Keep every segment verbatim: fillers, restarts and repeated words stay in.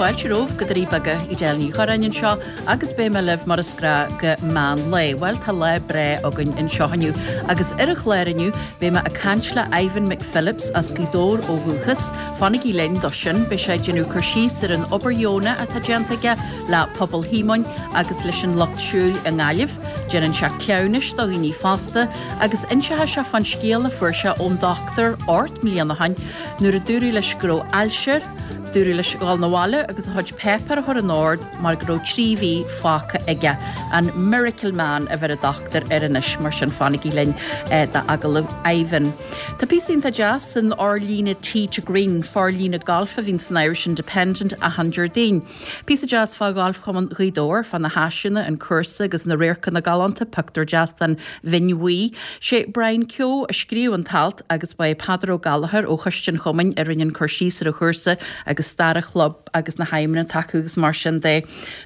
Fáilte romhaibh go Doirí Beaga Edel Ní Churráin anseo agus beidh mé libh mar is gnách go meán lae. Bhuel tá lá breá againn anseo inniu agus ar an chlár inniu beidh mé ag caint le Ivan McPhillips as Gaoth Dobhair ó dhúchas, Fanaigí linn dó sin beidh sé ag déanamh cur síos ar an obair dheonach atá déanta aige le pobal Shíomóin agus leis an lucht siúil i nGaillimh, Déanann sé cleamhnais do dhaoine fásta agus inseoidh sé fán scéal a fuair sé ón dochtúir ocht mbliana ó shin nuair a dúradh leis go raibh ailse air, dúradh leis dul 'na bhaile agus a chuid páipéar a chur in ord mar go raibh trí mhí fágtha aige. An Miracle Man a bheir an dochtúir air anois mar sin fanaigí linn eh, d'agallamh Ivan. Tá píosa iontach deas san fhorlíonadh Tee to Green forlíonadh galf a bhíonn san Irish Independent achan Déardaoin. Píosa deas fá Ghalfchumann Ghaoth Dobhair fá na háiseanna an cúrsa agus na radharcanna galánta pictiúr deas den Bhinn Bhuí. Sé Brian Keogh a scríobh an t-alt agus ba é Peadar Ó Gallchóir ó Choiste an Chumainn a rinne an cur síos ar an chúrsa agus stair an chlub agus na haidhmeanna atá acu agus mar sin de.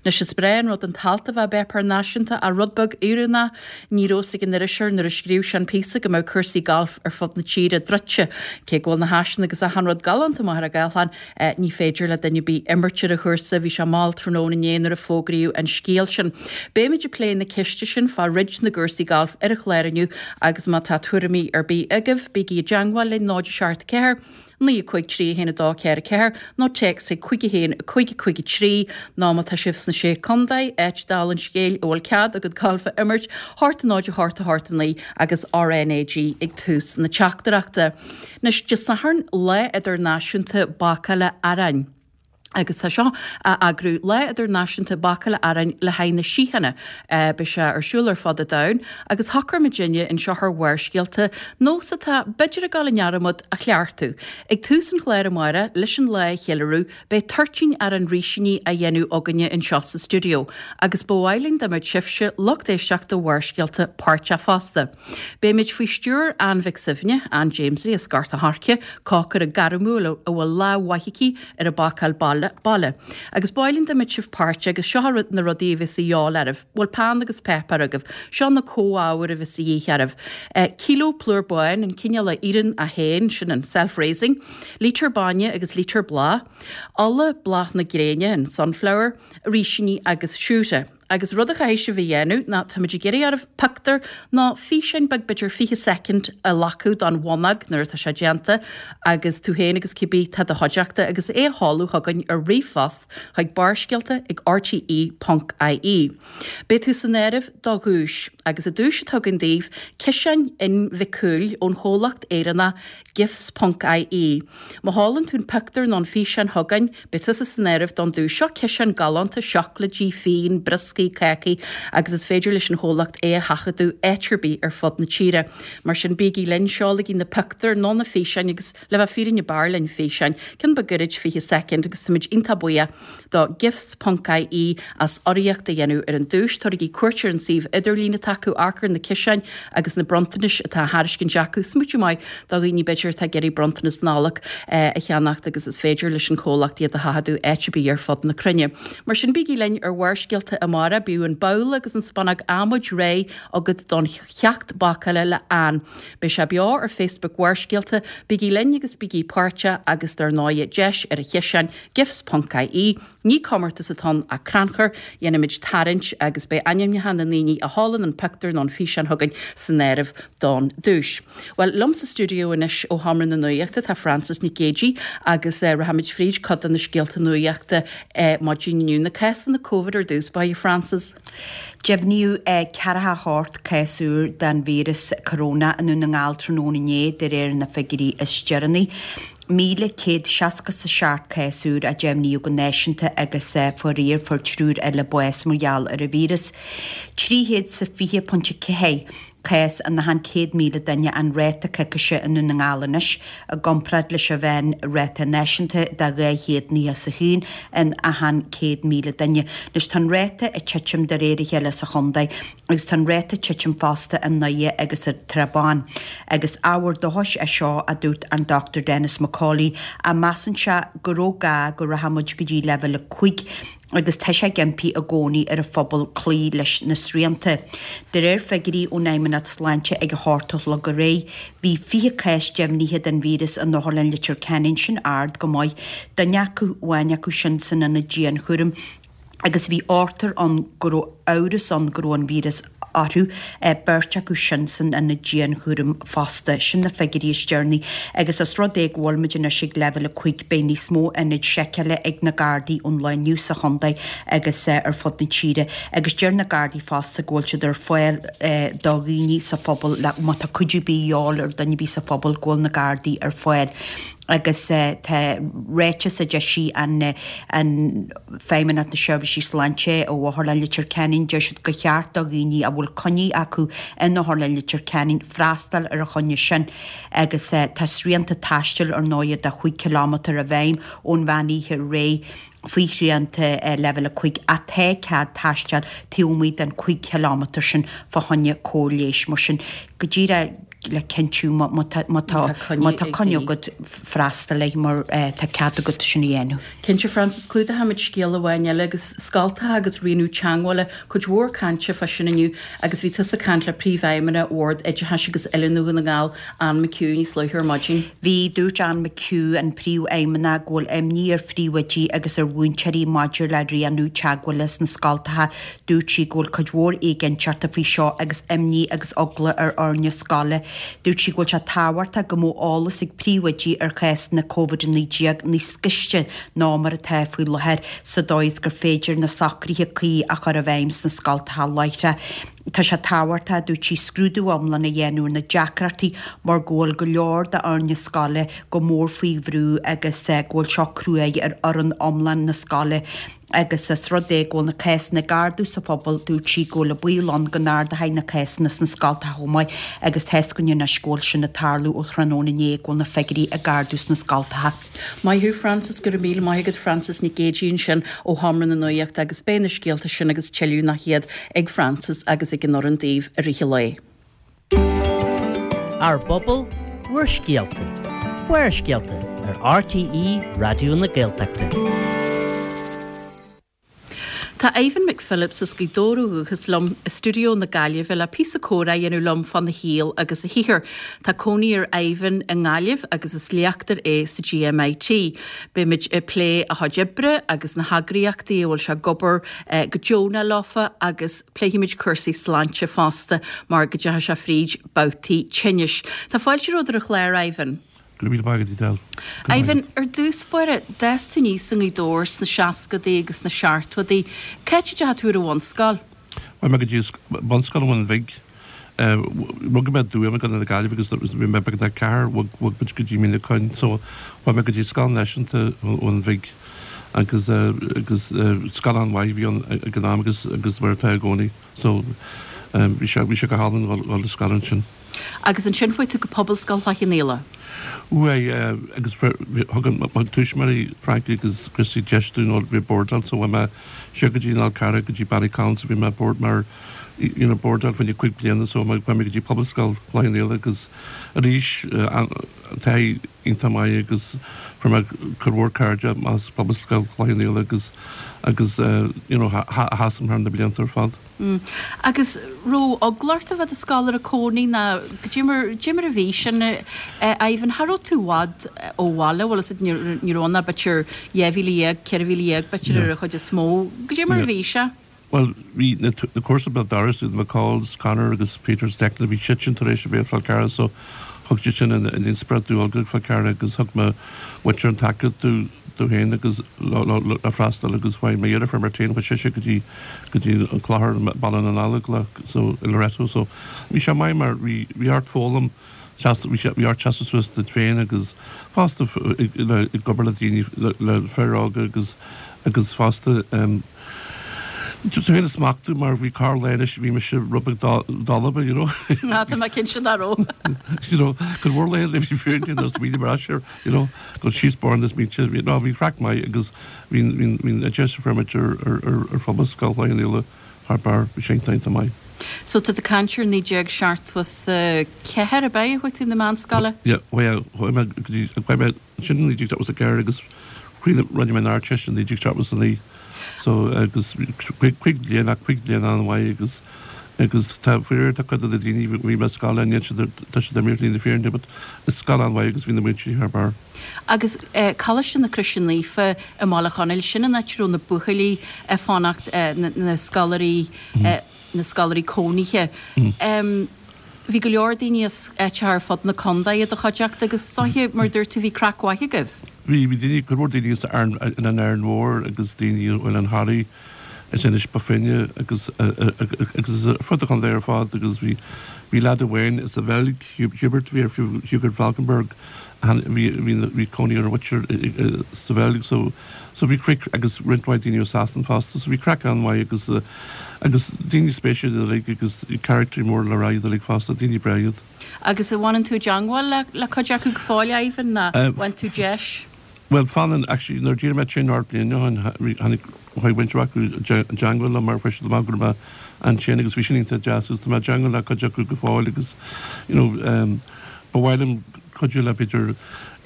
Anois is breá an rud an t-alt a bheith i bpáipéar náisiúnta ach rud beag oiriúnach ní raibh a fhios ag an iriseoir nuair a scríobh sé an píosa go mbeadh cúrsaí galf ar fud na tíre druidte cé go bhfuil na háiseanna agus achan rud galánta maith ar an gCaisleán eh, ní féidir le duine ar bith imirt ar an chúrsa bhí sé mall tráthnóna inné nuair a fógraíodh an scéal sin. Beimid ag plé na ceiste sin fá dhruid na gcúrsaí galf ar an chlár inniu agus má tá tuairimí ar bith agaibh bígí i dteagmháil linn náid seacht ceathair. naoi cúig trí haon a dó ceathair ceathair nó téacs ag cúig haon cúig cúig trí nó má tá sibh sna sé chontae áit dála an scéil a bhfuil cead agat galf a imirt hocht náid a hocht a hocht a naoi agus RNAG ag tús na teachtaireachta. Anois Dé Sathairn lá idirnáisiúnta bácála aráin. Agus tá seo á eagrú lá idirnáisiúnta bácála aráin le haghaidh na síochána beidh sé ar siúl ar fud an domhain, agus shocraigh muidinne anseo ar Bharrscéalta nós atá b'fhéidir ag dul i ndearmad a cheartú. Ag tús an chláir amárach leis an lá a cheiliúradh beidh toirtín arán rísíní á dhéanamh againne anseo sa stiúideo, agus ba mhaith linn dá mbeadh sibhse lucht éisteachta Bharrscéalta páirteach fosta. Beimid faoi stiúir Ann Mhic Suibhne, Ann Jamesie as Gort an Choirce, cócaire gairmiúil a bhfuil lámh mhaith aici ar an bácáil baile baile. Agus ba mhaith linn dá mbeadh sibh páirteach agus seo na rudaí a bheas de dhíobháil oraibh, bhfuil peann agus páipéar agaibh, seo na comhábhair a bheas de dhíth oraibh. Uh, Kilo plúr bán an cineál a éiríonn as féin sin an self-raising, lítear bainne agus lítear bláth, ola bláth na gréine an sunflower, rísíní agus siúcra. Agus rud a chaithfidh sibh a dhéanamh ná táimid ag iarraidh oraibh pictiúr nó físeán beag b'fhéidir fiche soicind a ghlacadh don bhonnóg nuair atá sé déanta agus tú féin agus cibé tá i do chuideachta agus é a sheoladh chugainn ar ríomhphost chuig barrscéalta ag RTE.ie. Beidh tú san áireamh do dhuais agus an duais atá againn daoibh ciseáin inbhicúil ón chomhlacht Éireannach gifts.ie. Má sheolann tú an pictiúr nó an físeán chugainn, beidh tusa san áireamh don duais seo ciseán galánta seacláidí, fíon, brioscaí, cácaí agus is féidir leis an chomhlacht é a sheachadadh áit ar bith ar fud na tíre. Mar sin bígí linn seolaigí na pictiúir nó na físeáin agus le bheith fírinneach b'fhearr linn físeáin, ceann beag gairid fiche soicind agus táimid iontach buíoch do gifts.ie as urraíocht a dhéanamh ar an duais tabhair cuairt ar an suíomh idirlín atá acu amharc ar na ciseáin agus na bronntanais atá á thairiscint acu smaoineamh maith do dhaoine b'fhéidir atá ag iarraidh bronntanas Nollag eh, a cheannacht agus is féidir leis an chomhlacht iad a sheachadadh áit ar bith ar fud na cruinne. Mar sin bígí linn ar Bharrscéalta amárach bíodh an babhla agus an spúnóg adhmaid réidh agat don cheacht bácála le Ann. Beidh sé beo ar Facebook Bharrscéalta, bígí linn agus bígí páirteach agus dar ndóigh deis ar an chiseán gifts.ie, ní comórtas atá ann ach crannchur, dhéanfaimid tarraingt agus beidh ainmneacha na ndaoine a sheolann an pictiúr nó an físeán chugainn san áireamh don duais. Well liom sa stiúideo anois ó Sheomra na Nuachta tá Frances Nic Géadaigh agus uh, rachaimid fríd cuid de na scéalta nuachta uh, maidin inniu na cásanna COVID ar dtús ba Frances. Deimhníodh ceathracha a hocht cás úr den víreas corona i nDún na nGall tráthnóna inné de réir na figiúirí is deireanaí. Míle céad seasca sa seacht cás úr a deimhníodh go náisiúnta agus faraor fuair triúr eile bás mar gheall ar an víreas. Trí chéad sa fiche pointe ceathair cás in achan céad míle duine an ráta coicíse i nDún na nGall anois i gcomparáid leis an mheánráta náisiúnta de dhá chéad nócha is a haon in achan céad míle duine. Anois tá an ráta ag titim de réir a chéile sa chontae agus tá an ráta ag titim fosta i nDoire agus i dTrá Bháin. Agus ábhar dóchais é seo a dúirt an Dr Denis McCauley a measann sé go raibh gá go rachaidh muid go dtí leibhéal a cúig agus tá sé ag impí i gcónaí ar an phobal cloí leis na srianta. De réir figiúirí ón Fheidhmeannacht Sláinte ag a hocht a chlog aréir, bhí fiche cás deimhnithe den víreas in Otharlann Leitir Ceanainn, sin ard go maith, duine acu amháin acu sin san ionad dianchúraim agus bhí ochtar ann go raibh amhras ann go raibh an víreas orthu, beirt acu sin san ionad dianchúraim fosta. Sin na figiúirí is deireanaí agus os rud é go bhfuil muid anois ag leibhéal a cúig beidh níos mó ionaid seiceála ag na Gardaí ón lá inniu sa chontae agus ar fud na tíre agus deir na Gardaí fosta go bhfuil siad ar fáil do dhaoine sa phobal má tá cuidiú ar bith de dhíobháil ar dhuine ar bith sa phobal go bhfuil na Gardaí ar fáil. agus tá ráiteas a d'eisigh an an Feidhmeannacht na Seirbhísí Sláinte ó Otharlann Leitir Ceanainn, deir siad gur cheart do dhaoine a bhfuil coinní acu in Otharlann Leitir Ceanainn freastal ar an choinne sin agus tá srianta taistil ar ndóigh de chúig chileámetar i bhfeidhm ón mheán oíche aréir faoi shrianta leibhéal a cúig ach tá cead taisteal taobh amuigh den cúig chileámetar sin fá choinne cóir leighis mar sin go díreach le cinntiú má tá má tá coinne agat freastal air mar tá cead agat sin a dhéanamh. Cinnte Frances clúdóimid scéal amháin eile agus scoltacha agus rianú teagmhála cuid mhór cainte fá sin inniu agus bhí tusa ag caint le príomhfheidhmeannach Bhord Oideachais agus Oiliúna Dhún na nGall Ann McHugh níos luaithe ar maidin. Bhí dúirt Ann McHugh an príomhfheidhmeannach go bhfuil imní ar phríomhoidí agus ar mhúinteoirí maidir le rianú teagmhála sna scoltacha dúirt sí go bhfuil cuid mhór éiginnteachta faoi seo agus imní agus eagla ar fhoirne scoile. Dúirt sí go bhfuil sé tábhachtach go mbeadh eolas ag príomhoidí ar chásanna Covid a naoi déag níos gaiste ná mar atá faoi láthair sa dóigh is gur féidir na socruithe cuí a chur i bhfeidhm sna scoltacha láithreach. Tá sé tábhachtach dúirt sí scrúdú iomlán a dhéanamh ar na deacrachtaí mar go bhfuil go leor d'fhoirne scoile go mór faoi bhrú agus go bhfuil seo cruaidh ar fhoireann iomlán na scoile. agus is rud é go bhfuil na cásanna ag ardú sa phobal dúirt sí go bhfuil an baol ann go n-ardóidh na cásanna sna scoltacha chomh maith agus tá a fhios againn anois go bhfuil sin ag tarlú ó thráthnóna inné go bhfuil na figiúirí ag ardú sna scoltacha. Maith thú Frances go raibh míle maith agat Frances Nic Géadaigh ansin ó Sheomra na Nuachta agus beidh na scéalta sin agus tuilleadh nach iad ag Frances agus ag an fhoireann daoibh i rith an lae. Ár bpobal, bhur scéalta. Barrscéalta ar RTÉ Raidió na Gaeltachta. Tá Ivan McPhillips as Gaoth Dobhair ó dhúchas liom i stiúideo na Gaillimhe le píosa comhrá a dhéanamh liom fána shaol agus a shaothar. Tá cónaí ar Ivan i nGaillimh agus is léachtóir é sa GMIT. Beimid ag plé a chuid oibre agus na heagraíochtaí a bhfuil sé ag obair eh, go deonach leofa agus pléifimid cúrsaí sláinte fosta mar go dteachaigh sé fríd babhtaí tinnis. Tá fáilte romhat ar an chlár Ivan. Go raibh maith agat. Ivan ar dtús báire d'fhás tú aníos i nGaoth Dobhair sna seascadaí agus sna seachtóidí, Cá háit a ndeachaigh tú ar an bhunscoil? Bhuel mé go dtí bunscoil an Bhun Bhig. Rugadh mé i dTuaim i gContae na Gaillimhe agus bhí mé beagnach ceathair bhog muid go dtí Mín na Coinn, so bhog mé go dtí Scoil Náisiúnta an Bhig agus agus scoil an-mhaith bhí ann ag an am agus agus mar atá i gcónaí. So bhí sé bhí sé go hálainn dul le scoil ansin. Agus ansin chuaigh tú go Pobalscoil Chloich Cheann Fhaola. Uaidh agus thug an tuismitheoirí Frankie agus Christy deis dúinn bhí bordáil so bhí mé siar go dtí an Fhál Carrach go dtí Ballycollins a bhí mé board mar you know bordáil faoin cúig bliana so mé go dtí Pobalscoil Chloich Cheann Fhaola agus arís taithí iontach maith agus fuair mé cuid mhór cairde as Pobalscoil Chloich Cheann Fhaola agus agus you know sheas thar na blianta ar fad. Mm. Agus raibh eagla ort a bheith i do scoláire cónaí ná goidé mar goidé mar a bhí sin Ivan cha raibh tú i bhfad ó bhaile bhfuil a fhios agat ní raibh ann ach b'fhéidir dhá mhíle dhéag ceithre mhíle dhéag b'fhéidir ar an chuid is mó. Goidé mar a bhí sé. Well bhí na na cúrsa béal doras na McCalls, Conor agus Peter Steckner bhí siad sin tar éis a bheith Fál Carrach so thug siad sin an inspioráid dul go Fál Carrach agus thug mo mhuintir an tacaíocht domh domh féin agus le freastal agus chuaigh mo dheirfiúr Martin chuaigh sise go dtí go dtí an Clochar Baile na nGallóglach so i Loreto so bhí sé maith mar bhí bhí ort foghlaim bhí sé bhí ort seasamh suas duit féin agus fosta ag obair le daoine le fir óga agus agus fosta um, Tú féin a smachtú mar bhí corr léis bhí mise rud beag dalba you know. Ná tá mé cinnte nach raibh. you know, go mhór le le bhí féin bhí mar you know, go síos bar is míte ná bhí craic maith agus bhí bhí deis fermit ar ar Phobalscoil Chloich Cheann Fhaola thar barr bhí sé iontach maith. So tá tú ag caint ar naoi déag seachtó is ceathair ab ea chuaigh tú na meánscoile? Yeah, mé sin naoi déag seachtó a ceathair agus rinne mé an Ardteist naoi déag seachtó a naoi. So agus cúig bliana cúig bliana an-mhaith agus agus tá fuir tá cuid de na daoine bhí mé scoil níl siad tá siad imithe le fírinne but is scoil an-mhaith agus bhí na múinteoirí thar barr. Agus Coláiste na Croise Naofa i mBaile Chonaill, sin an áit a raibh na buachaillí ag fanacht, na scoláirí na scoláirí cónaithe. Bhí go leor daoine as áiteacha ar fud na contae i do chuideachta agus is dóiche, mar a dúirt tú, bhí craic mhaith agaibh. Bhí, bhí daoine, cuid mhór daoine as an Árainn Mhór agus daoine ó Oileán Thoraí, as Inis Bó Finne agus agus ar fud an chontae ar fad agus bhí, bhí leaid amháin as an Bheilg, Hubert, bhí ar Hubert Valkenburg, bhí, bhí, bhí cónaí ar a mhuintir sa Bheilg so, so bhí craic agus roinnt mhaith daoine ó Sasana fosta so bhí craic an-mhaith agus agus daoine spéisiúil uilig agus carachtair mór le rá iad uilig fosta, daoine breá iad. Agus an bhfanann tú i dteangmháil le le cuid acu go fóill, Ivan, nó bhain tú deis? Bhuel fanann, actually nuair a d'éirigh mé tinn ort bliain ó shin tháinig chuaigh roinnt acu i dteangmháil liom mar fuair siad amach go raibh mé ansin agus bhí sin iontach deas agus tá mé i dteangmháil le cuid acu go fóill agus you know ba mhaith liom cuidiú le b'fhéidir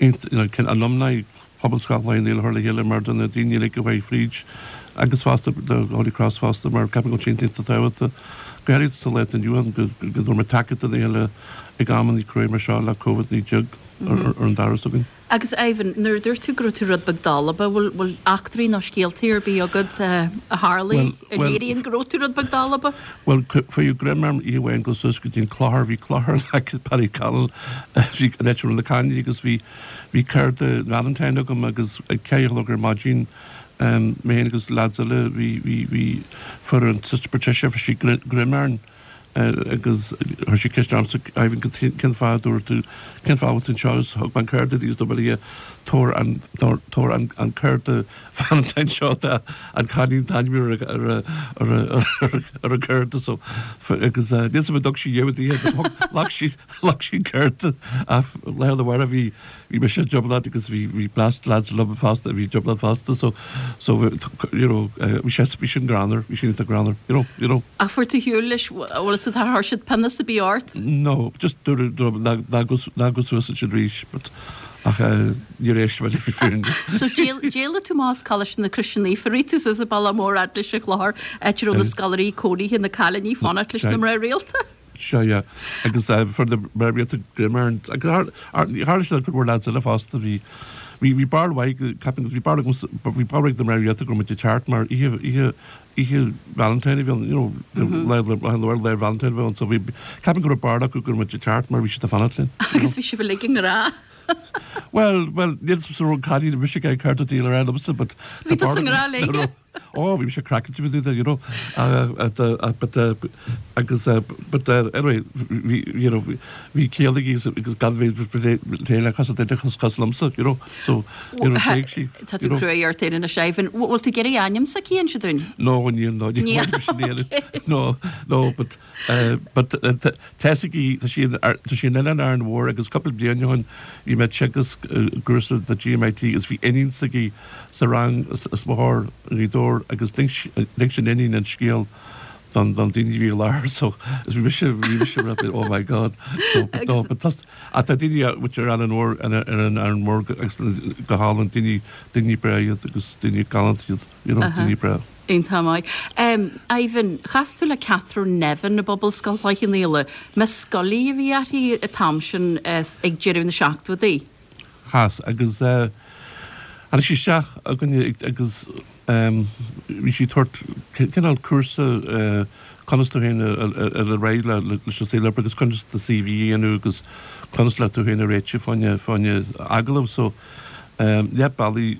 you know alumni Pobalscoil Chloich Cheann Fhaola a chur le chéile mar do na daoine uilig a chuaigh fríd agus fosta do Holy Cross fosta mar ceapaim go bhfuil sé iontach tábhachtach go háirithe sa lá atá inniu ann go go dtabharfaidh muid tacaíocht dá chéile ag amanna crua mar seo le Covid naoi déag ar an doras againn. Agus Ivan, nuair a dúirt tú go raibh tú rud beag dalba, bhfuil bhfuil eachtraí nó scéaltaí ar bith agat a tharlaigh a léiríonn go raibh tú rud beag dalba? Bhuel, fuair greim orm oíche amháin dul suas go dtí an clochar, bhí clochar in aice Ballyconnell, bhí an áit a raibh na cailíní agus bhí bhí cárta Valentine agam agus ag ceathair a chlog ar maidin mé féin agus lads eile bhí bhí bhí fuair an Sister Patricia fuair sí greim orainn agus chuir sí ceist ormsa Ivan cén fáth a dúirt tú cén fáth a bhfuil tú anseo agus thug mé an cárta di agus dúirt mé léi tabhair an tabhair an an cárta Valentine seo do an cailín tá ainm ar ar ar ar ar an gcárta so agus níl 'fhios a'm an dtug sí dheimhin di ghlac sí ghlac sí an cárta ach lá arna mhárach bhí Bhí mise i dtrioblóid agus bhí bhí blast lads liom fosta a bhí i dtrioblóid fosta so so you know bhí sé bhí sin greannmhar bhí sin iontach greannmhar you know you know. Ach fuair tú ar shiúl leis bhfuil fhios agat ar chuir siad pionós ar bith ort? No just dúradh dúradh ná ná go ná gabh suas ansin arís but ach níor éist mé leis an fhírinne. So d'éalaigh tú amach as Coláiste na Croise Naofa, rith tú suas an bealach mór fhad leis an chlochar áit a raibh na scoláirí cónaithe na cailíní ag fanacht leis na mná rialta. Sea, yeah. Agus fuair na mná rialta greim orainn. Agus tharla sé do chuid mhór lads eile fosta. Bhí, bhí, bhí barúil mhaith, ceapaim, bhí barúil agam, bhí barúil ag na mná rialta go raibh muid ag teacht mar oíche, oíche, oíche Valentine a bhí ann, you know, lá, lá, lá, lá Valentine a bhí ann. So bhí, ceapaim go raibh barúil acu go raibh muid ag teacht mar bhí siad ag fanacht linn. Agus bhí sibh uilig i ngrá. Bhuel, bhuel, níl 'fhios a'm an raibh an cailín a bhí mise ag cur di le rá liomsa, but Bhí tusa i ngrá léi. Ó, bhí mise craiceáilte fá dtaobh de, you know, but agus but anyway, bhí, you know, bhí ciall aici agus gan bheith léi cosúil duine cosúil liomsa, you know, so, you know, d'éag sí. Tá tú cruaidh ort féin anois, Ivan. Bhfuil tú ag iarraidh ainm s'aici a inse dúinn? No, níl, no, níl, níl, no, no, but but tá 'fhios aici, tá sí tá sí in Oileán Árainn Mhór agus cúpla bliain ó shin bhí mé ag teagasc i gcúrsa do GMIT agus bhí iníon s'aici sa rang as mo chomhair i nGaoth Dobhair agus d'inis an iníon an scéal don don daoine a bhí i láthair so is bhí mise bhí mise rud oh my god so but no but tá ach tá daoine which ar Árainn Mhór ar an Árainn Mhór agus go hálainn daoine daoine breá iad agus daoine galánta iad you know daoine breá. Iontach maith. Ivan, chas tú le Catherine Nevin i bPobalscoil Chloich Cheann Fhaola. Miss Scully a bhí uirthi an t-am sin ag deireadh na seachtóidí. Chas, agus tháinig sí isteach againne agus bhí sí ag tabhairt cineál cúrsa conas tú féin a a ar aghaidh leis an saol oibre agus conas do CV a dhéanamh agus conas le tú féin a réiteach fá choinne fá choinne agallamh. So leath bealaigh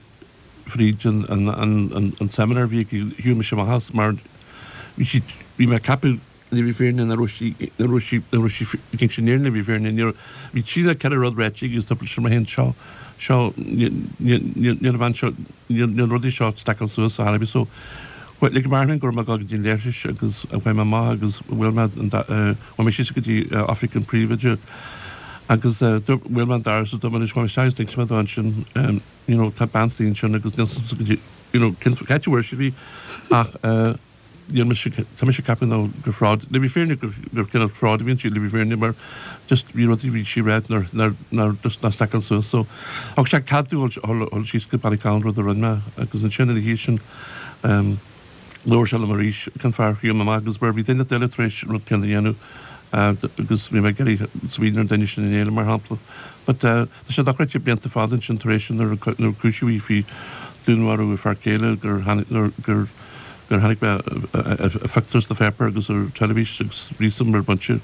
fríd an seimineár a bhí aici, shiúil mise amach as mar bhí sí, bhí mé ag ceapadh le bhí fírinne nach raibh sí, nach raibh sí, nach raibh sí ag inse an fhírinne, bhí fírinne, ní raibh, bhí trí nó ceithre rud ráite aici agus dúirt mise liom féin seo, seo, níl, níl, níl, níl an bhean seo, níl, níl na rudaí seo ag stackáil suas ar chor ar bith so lig mé orm féin go raibh mé ag dul go dtí an leithris agus chuaigh mé amach agus bhuail mé an, chuaigh mé síos go dtí oifig an phríomhoide agus bhuail mé an doras agus dúirt mé anois chuaigh mé isteach agus d'inis mé dó ansin you know, tá bean istigh ansin agus níl 's a'msa go dtí, you know, cén áit a bhfuair sibh í ach eh, níl mise, tá mise ag ceapadh nó gur fraud, le bhí fírinne gur, gur cineál fraud a bhí inti, le bhí fírinne mar just bhí rudaí bhí sí ag rá nár, nár, nár just ná stackáil suas so thug sé cead domh dhul, dhul síos go Ballyconnell rud a rinne mé agus ansin ina dhiaidh sin Labhair sé liom arís cén fáth ar shiúil mé amach agus mar bhí duine eile tar éis rud céanna a dhéanamh agus bhí mé ag iarraidh smaoineamh ar an duine sin in Éirinn mar shampla. But tá sé dochreidte blianta fada ansin tar éis nuair a cúisíodh í faoi dúnmharú a fear céile gur gur gur tháinig mé a phictiúr sna pháipéir agus ar teilifís agus bhí a fhios agam ar bpointe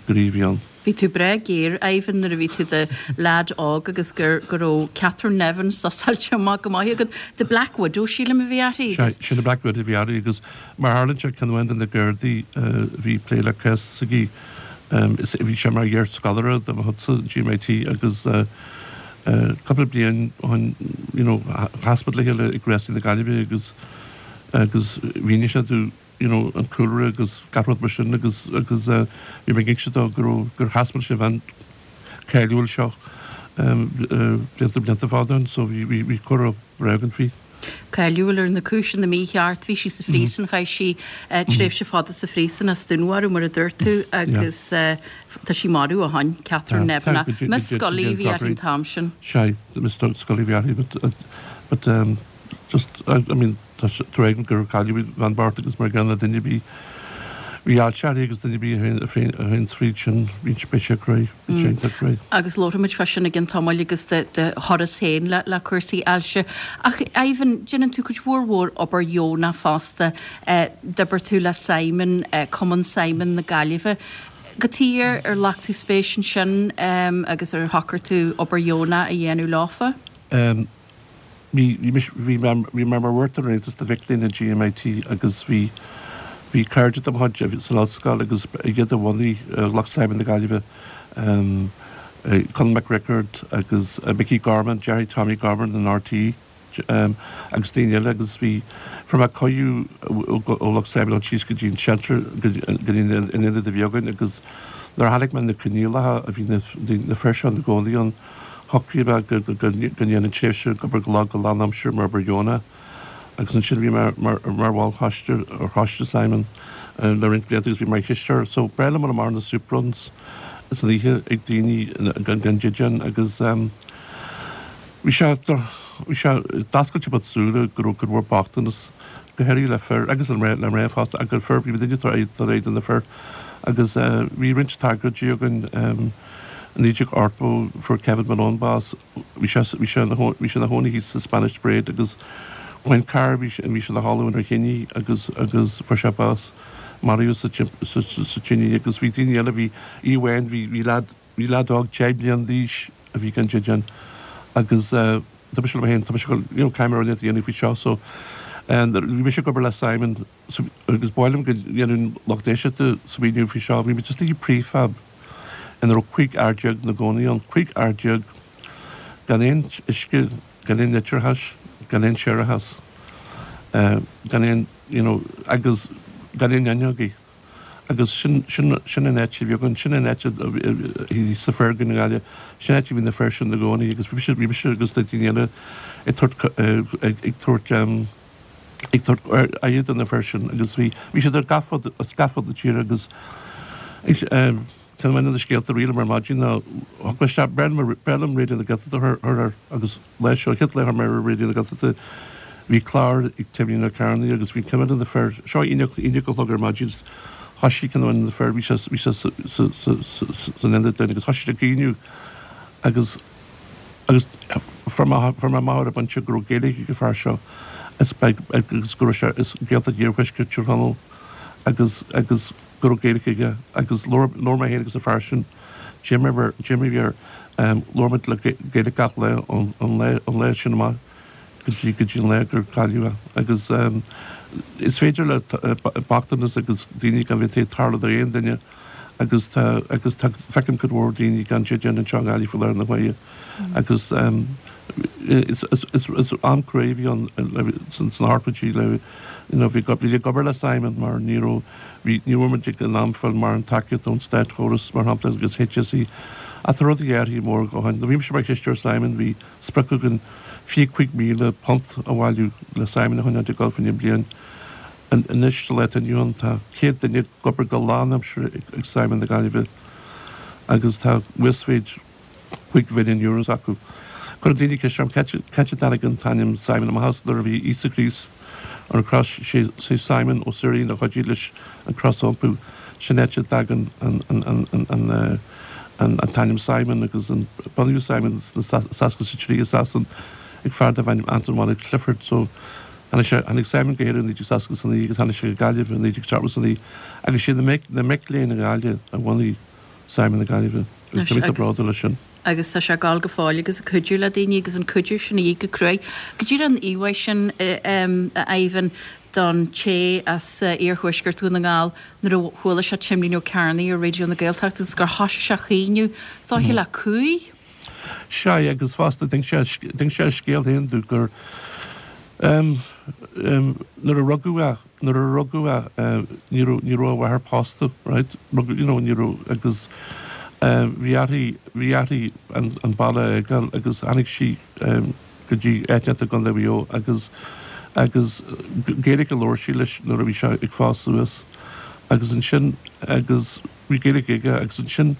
gur í a bhí ann. Bhí tú breá géar, Ivan, nuair a bhí tú i do leaid óg agus gur go raibh Catherine Nevin susáilte amach go maith agat. The Black Widow, sílim, a bhí uirthi agus. Sea, sin the Black Widow a bhí uirthi agus mar tharlaíonn sé ceann amháin de na Gardaí a bhí ag plé le cás s'aici, bhí sé mar iar-scoláire de mo chuidse in GMIT agus cúpla bliain ó shin, you know, chas muid le chéile ag Rásaí na Gaillimhe agus agus mhínigh sé domh you know, an cúlra agus gach rud mar sin agus agus bhí mé ag inse dó go raibh gur chas mé leis an bhean cáiliúil seo blianta blianta fada ó shin so bhí bhí bhí comhrá breá againn faoi. Cáiliúil ar na cúiseanna mícheart, bhí sí sa phríosún, chaith sí tréimhse fada sa phríosún as dúnmharú mar a dúirt tú agus tá sí marbh ó shin, Catherine Nevin. Miss Scully a bhí uirthi an t-am sin. Sea, Miss Scully a bhí uirthi but but um, just I mean tá tréigean gur cailleadh an bhean bhocht agus mar gceann le duine ar bith bhí ailse uirthi agus duine ar bith a théann fríd sin bíonn sé beidh sé cruaidh bíonn sé iontach cruaidh. Agus labharfaimid fá sin i gcionn tamaill agus do do thuras féin le le cúrsaí ailse. Ach Ivan, déanann tú cuid mhór mhór obair dheonach fosta. D'oibir tú le Simon, Cumann Simon na Gaillimhe. Cad chuige ar ar ghlac tú spéis ansin agus ar shocraigh tú obair dheonach a dhéanamh leofa? Bhí bhí mé bhí mé mar bhurtar an Aontais do mhic léinn i GMIT agus bhí bhí cairde de mo chuid san ollscoil agus iad a bhunaigh lucht Simon na Gaillimhe, Conall Mac Riocaird agus Mickey Gorman, deartháir Tommy Gorman in RTÉ agus daoine eile agus bhí fuair mé cuireadh ó lucht Simon dul síos go dtí an shelter go dtí an ionad a bhí againn agus nuair a chonaic mé na coinníollacha a bhí na na fir seo ina gcónaí ann Shocraigh mé go ndéanfainn tréimhse ag obair go go lánaimseartha mar obair dheonach agus ansin bhí mé mar bhall choiste ar choiste Simon le roinnt blianta agus bhí mar chisteoir. So ba bhreá liom dul amach ar na soup runs san oíche ag daoine gan dídean agus bhí sé bhí sé d'oscail sé mo shúile go raibh go raibh bochtanas go háirithe le fir agus le mná fosta ach le fir bhí muidne tar éis do na fir agus bhí roinnt tragóidí againn. I naoi déag ochtó fuair Kevin Malone bás. Bhí sé bhí sé ina bhí sé ina chónaí thíos sa Spanish Parade agus bhain carr bhí sé bhí sé ina chodladh ar thine agus agus fuair sé bás. Maraíodh sa sa sa tine agus bhí daoine eile bhí oíche amháin bhí bhí leaid bhí leaid óg deich mbliana d'aois a bhí gan dídean agus tá mise liom féin tá mise you know caithfidh mé rud éigin a dhéanamh faoi seo so bhí mise ag obair le Simon so agus ba mhaith liom go ndéanfadh lucht éisteachta smaoineamh faoi seo bhí muid istigh i prefab ina raibh cúig fhear déag ina gcónaí ann, cúig fhear déag gan aon uisce, gan aon leictreachas, gan aon séarachas, gan aon, you know, agus gan aon fhuinneogaí. Agus sin, sin, sin an áit a bhí againn, sin an áit a bhí sa foirgneamh i nGaillimh, sin an áit a bhí na fir sin ina gcónaí agus bhí mise, bhí mise agus na daoine eile ag tabhairt, ag tabhairt, ag tabhairt aire do na fir sin agus bhí, bhí siad ar gach fud, as gach fud na tíre agus, Ceann amháin de na scéalta a rith liom ar maidin ná thug mé isteach ba bhreá liom Raidió na Gaeltachta a chur air agus lá seo, an chéad lá a chuir mé ar Raidió na Gaeltachta bhí clár ag Timmy Ó Cearnaigh agus bhí ceann de na fir, seo a haon a chlog ar maidin, thoisigh ceann amháin de na fir, bhí sé bhí sé san ionad linn agus thoisigh sé ag caoineadh agus agus fuair mé fuair mé amach ar an bpointe go raibh Gaeilge ag an fear seo is agus go raibh sé as Gaeltacht Iarthuaisceart Tír Chonaill agus agus go raibh Gaeilge aige agus labhair labhair mé féin agus an fear sin Jim a Jim a bhí air labhair muid le Gaeilge gach lá ón ón lá ón lá sin amach go dtí go dtí an lá gur cailleadh é agus is féidir le bochtanas agus daoine gan bheith ag tarlú d'aon duine agus tá agus tá feicim cuid mhór daoine gan dídean anseo i nGaillimh faoi láthair na huaire agus is is is is am crua a bhí ann sna hochtóidí le you know bhí bhí ag obair le Simon mar ní raibh bhí ní raibh muid ag an am fáil mórán tacaíocht ón státchóras mar shampla agus HSE ach tá rudaí athraithe mór ó shin. Nuair a bhí mise mar chisteoir Simon bhí sprioc againn fiche cúig míle punt a bhailiú le Simon a choinneáil ag dul fá choinne bliain. Anois sa lá atá inniu ann tá céad duine ag obair go lánaimseartha ag Simon na Gaillimhe agus tá uasmhéid cúig mhilliún euro acu. Cuireann daoine ceist orm cá háit a dtáinig an t-ainm Simon amach as nuair a bhí Íosa Críost Ar an chros, sé Simon Ó Suirín a chuidigh leis an chros a iompú. Sin áit a dtagann an an t-ainm Simon agus an bunaíodh Simon sna seasca is a trí i Sasain ag fear darbh ainm Anton Malick Clifford. So tháinig sé tháinig Simon go hÉirinn i naoi déag seasca is a naoi agus tháinig sé go Gaillimh i naoi déag seachtó is a naoi agus siad na mic na mic léinn i nGaillimh a bhunaigh Simon na Gaillimhe agus tá mé bródúil leis sin. Agus tá sé ag gabháil go fóill agus ag cuidiú le daoine agus an cuidiú sin a dhíth go cruaidh. Go díreach an íomhá sin a Ivan don té as iarthuaisceart Dhún na nGall nuair a chuala sé Timlín Ó Cearnaigh ar Raidió na Gaeltachta agus gur thoisigh sé a chaoineadh, is dóiche le cumhaidh. Sea, agus fosta d'inis sé a scéal féin domh gur nuair a rugadh é, nuair a rugadh é ní raibh, ní raibh a mháthair pósta, right, rugadh, you know, ní raibh, agus bhí uirthi, bhí uirthi an baile a fhágáil agus tháinig sí go dtí áit inteacht i gContae Mhaigh Eo agus, agus Gaeilge a labhair sí leis nuair a bhí sé ag fás suas agus ansin, agus bhí Gaeilge aige agus ansin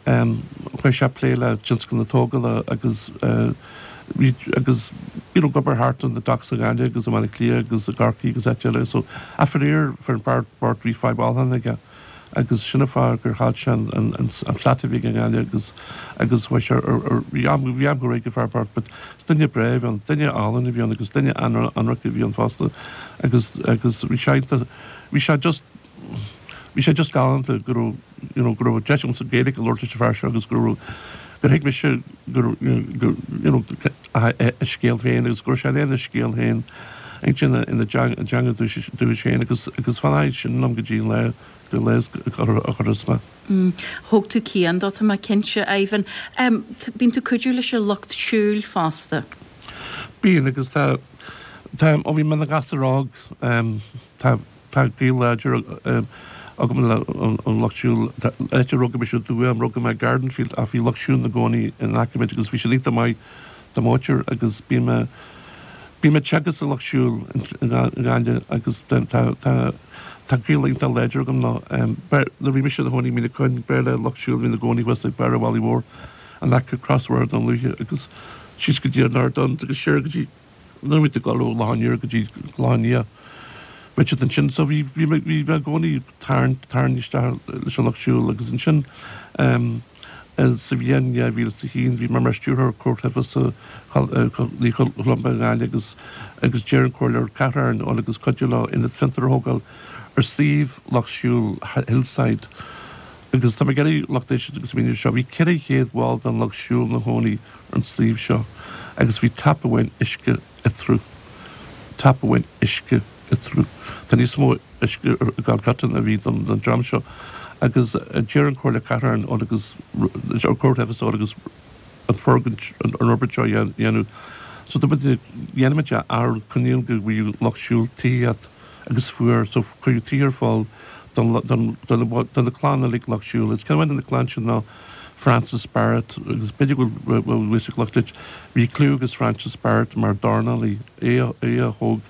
chuaigh sé ag plé le tionscal na tógála agus bhí, agus you know ag obair thart on the docks i nGaillimh agus i mBaile Átha Cliath agus i gCorcaigh agus áit eile so ach faraor fir an fear bocht bhí fadhb ólacháin aige agus sin an fáth gur chaill sé an an an flat a bhí aige i nGaillimh agus agus chuaigh sé ar ar bhí am bhí am go réidh ag an fear bocht but is duine breá a bhí ann duine álainn a bhí ann agus duine an-ionraic a bhí ann fosta agus agus bhí sé iontach bhí sé just bhí sé just galánta go raibh you know go raibh deis agamsa Gaeilge a labhairt leis an fear seo agus go raibh gur thuig mise go go you know a a scéal féin agus go raibh sé in ann a scéal féin a insint ina dteanga dúchais féin agus agus fanfaidh sin liom go dtí an lá go lá a chuirfeas mé. Thóg tú cian dó, tá mé cinnte, Ivan. Bíonn tú ag cuidiú leis an lucht siúil fosta. Bíonn agus tá tá ó bhí mé ina ghasúr óg tá Tá gaol láidir agam le an Lucht Siúil. Áit a rugadh mise i dTuaim, rugadh mé i Gardenfield ach bhí Lucht Siúil ina gcónaí in aice muid agus bhí siad iontach maith do mo mhuintir agus bím a bím ag teagasc sa Lucht Siúil i nGaillimh agus tá tá tá gaol iontach láidir agam leo. Nuair a bhí mise ina chónaí i Míle Coinn, b'fhearr le Lucht Siúil a bhí ina gcónaí thuas ag barr an Mhalaidh Mhóir in aice Crosbhóthar Dún Lúiche agus síos go dtí an Ardán agus siar go dtí Nuair a bhí tú ag dul ó Loch an Iúir go dtí Clochán Liath, bhí siad ansin so bhí bhí mé bhí mé i gcónaí tarraingt tarraingt isteach leis an lucht siúil agus ansin ehm sa bhliain dhá mhíle is a haon bhí mé mar stiúrthóir comhchuibhreasa Naomh Columba i nGaillimh agus agus d'iarr an comhairleoir cathrach orainn dul agus cuidiú leo ionad fiontair a thógáil ar suíomh lucht siúil Hillside agus tá mé ag iarraidh lucht éisteachta agus míniú seo bhí ceithre chéad bhall den lucht siúil ina chónaí ar an suíomh seo agus bhí tap amháin uisce eatarthu. Tap amháin uisce eatarthu. Tá níos mó uisce i gCalcutta ná a bhí don dream seo agus d'iarr an Comhairle Cathrach orainn dul agus ar comhchuibhreas agus an foirgint an fhorbairt seo a dhéanamh. So dúirt muid dhéanfaimid é ar choinníoll go bhfaigheadh lucht siúil tithíocht agus fuair so cuireadh tithe ar fáil don don do na clann uilig lucht siúil. Is ceann amháin de na clann sin ná Francis Barrett agus b'fhéidir go bhfuil bhfuil fhios ag lucht éisteachta bhí clú ag Francis Barrett mar dornálaí, é a é a thóg,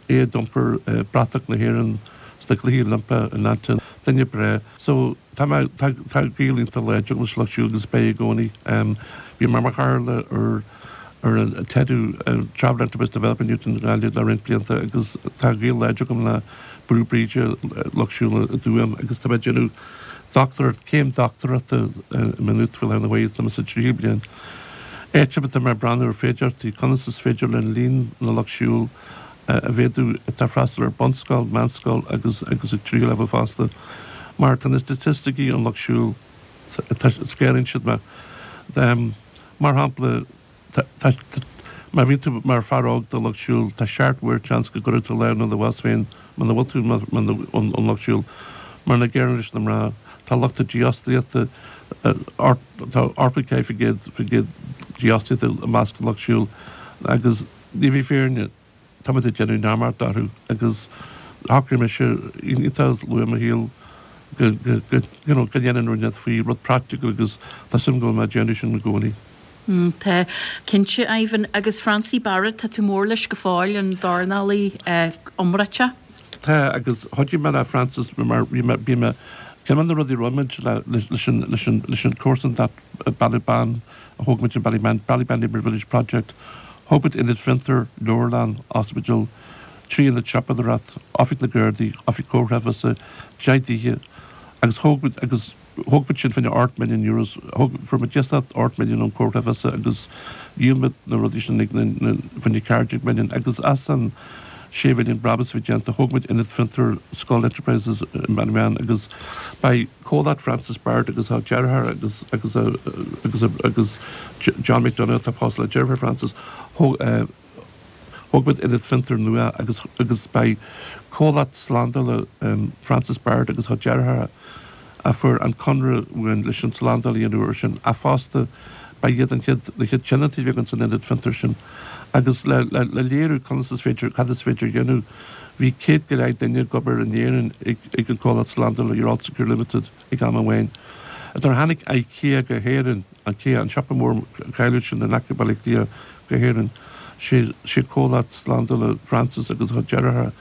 é a d'iompair bratach na hÉireann sna Cluichí Oilimpeacha in Athens, duine breá. So tá mé tá tá gaol iontach láidir agam leis an lucht siúil agus beidh i gcónaí. Bhí mé mar chathaoirleach ar ar an TEDU, Travel Enterprise Development Unit i nGaillimh le roinnt blianta agus tá gaol láidir agam le Brú Bríde, Lucht Siúil i dTuaim agus tá mé ag déanamh dochtúireacht, céim dochtúireachta i Maynooth faoi láthair na huaire, tá mé sa tríú bliain. Áit atá mé ag breathnú ar féidearthachtaí, conas is féidir linn líon na lucht siúil a mhéadú atá ag freastal ar bunscoil, meánscoil agus agus ag tríú leibhéal fosta. Mar tá na staitisticí an lucht siúil, scanraíonn siad mé. Mar shampla, Má bhíonn tú mar fear óg den lucht siúil, tá seacht uair seans go gcuirfidh tú lámh ina do bhás féin muna bhfuil tú ón lucht siúil. Mar an gcéanna leis na mná, tá lucht dífhostaíochta, tá ochtó ceathair faoin gcéad faoin gcéad dífhostaíochta i measc an lucht siúil agus ní bhí fírinne. Táimid ag déanamh neamart orthu agus shocraigh mise iontach luath i mo shaol go go go you know go ndéanfainn rud inteacht faoi, rud praiticiúil agus tá suim agam go bhfuil mé ag déanamh sin i gcónaí. Tá, cinnte, Ivan. Agus Francie Barrett, tá tú mór leis go fóill, an dornálaí iomráiteach. Tá, agus chuidigh mé le Francis mar bhí mé, bhí mé, ceann de na rudaí a rinne muid le, leis an, leis an, leis an comharsan Baile Ban a thóg muid an Ballybane, Ballybane Neighbourhood Village Project, thóg muid ionad fiontair, leabharlann, ospidéal, trí ionad siopadóireachta, oifig na Gardaí, oifig comhar creidmheasa, deich dtithe agus thóg muid agus thóg muid sin fá choinne ocht milliún euros, thóg, fuair muid iasacht ocht milliún ón comhar creidmheasa agus dhíol muid na rudaí sin ag na, na, fá choinne ceathair déag milliún agus as an sé mhilliún brabús a bhí déanta thóg muid ionad fiontair Scoil Enterprises i mBaile na mBeann agus beidh comhlacht Francis Barrett agus a deartháir agus agus a agus a agus John McDonagh atá pósta le deirfiúr Francis thóg eh, Thóg muid ionad fiontair nua agus agus beidh comhlacht slándála Francis Barrett agus a deartháir a fuair an conradh uainn leis an tslándáil a dhéanamh air sin ach fosta beidh iad an chéad na chéad tionóntaí a bheidh ins an ionad fiontair sin agus le le le léiriú conas is féidir cad is féidir a dhéanamh bhí céad go leith duine ag obair in Éirinn ag ag an comhlacht slándála You're All Secure Limited ag am amháin. Nuair a tháinig IKEA go hÉirinn, IKEA, an siopa mór cáiliúil sin in aice Baile Átha Cliath go hÉirinn, sé sé comhlacht slándála Francis agus a deartháir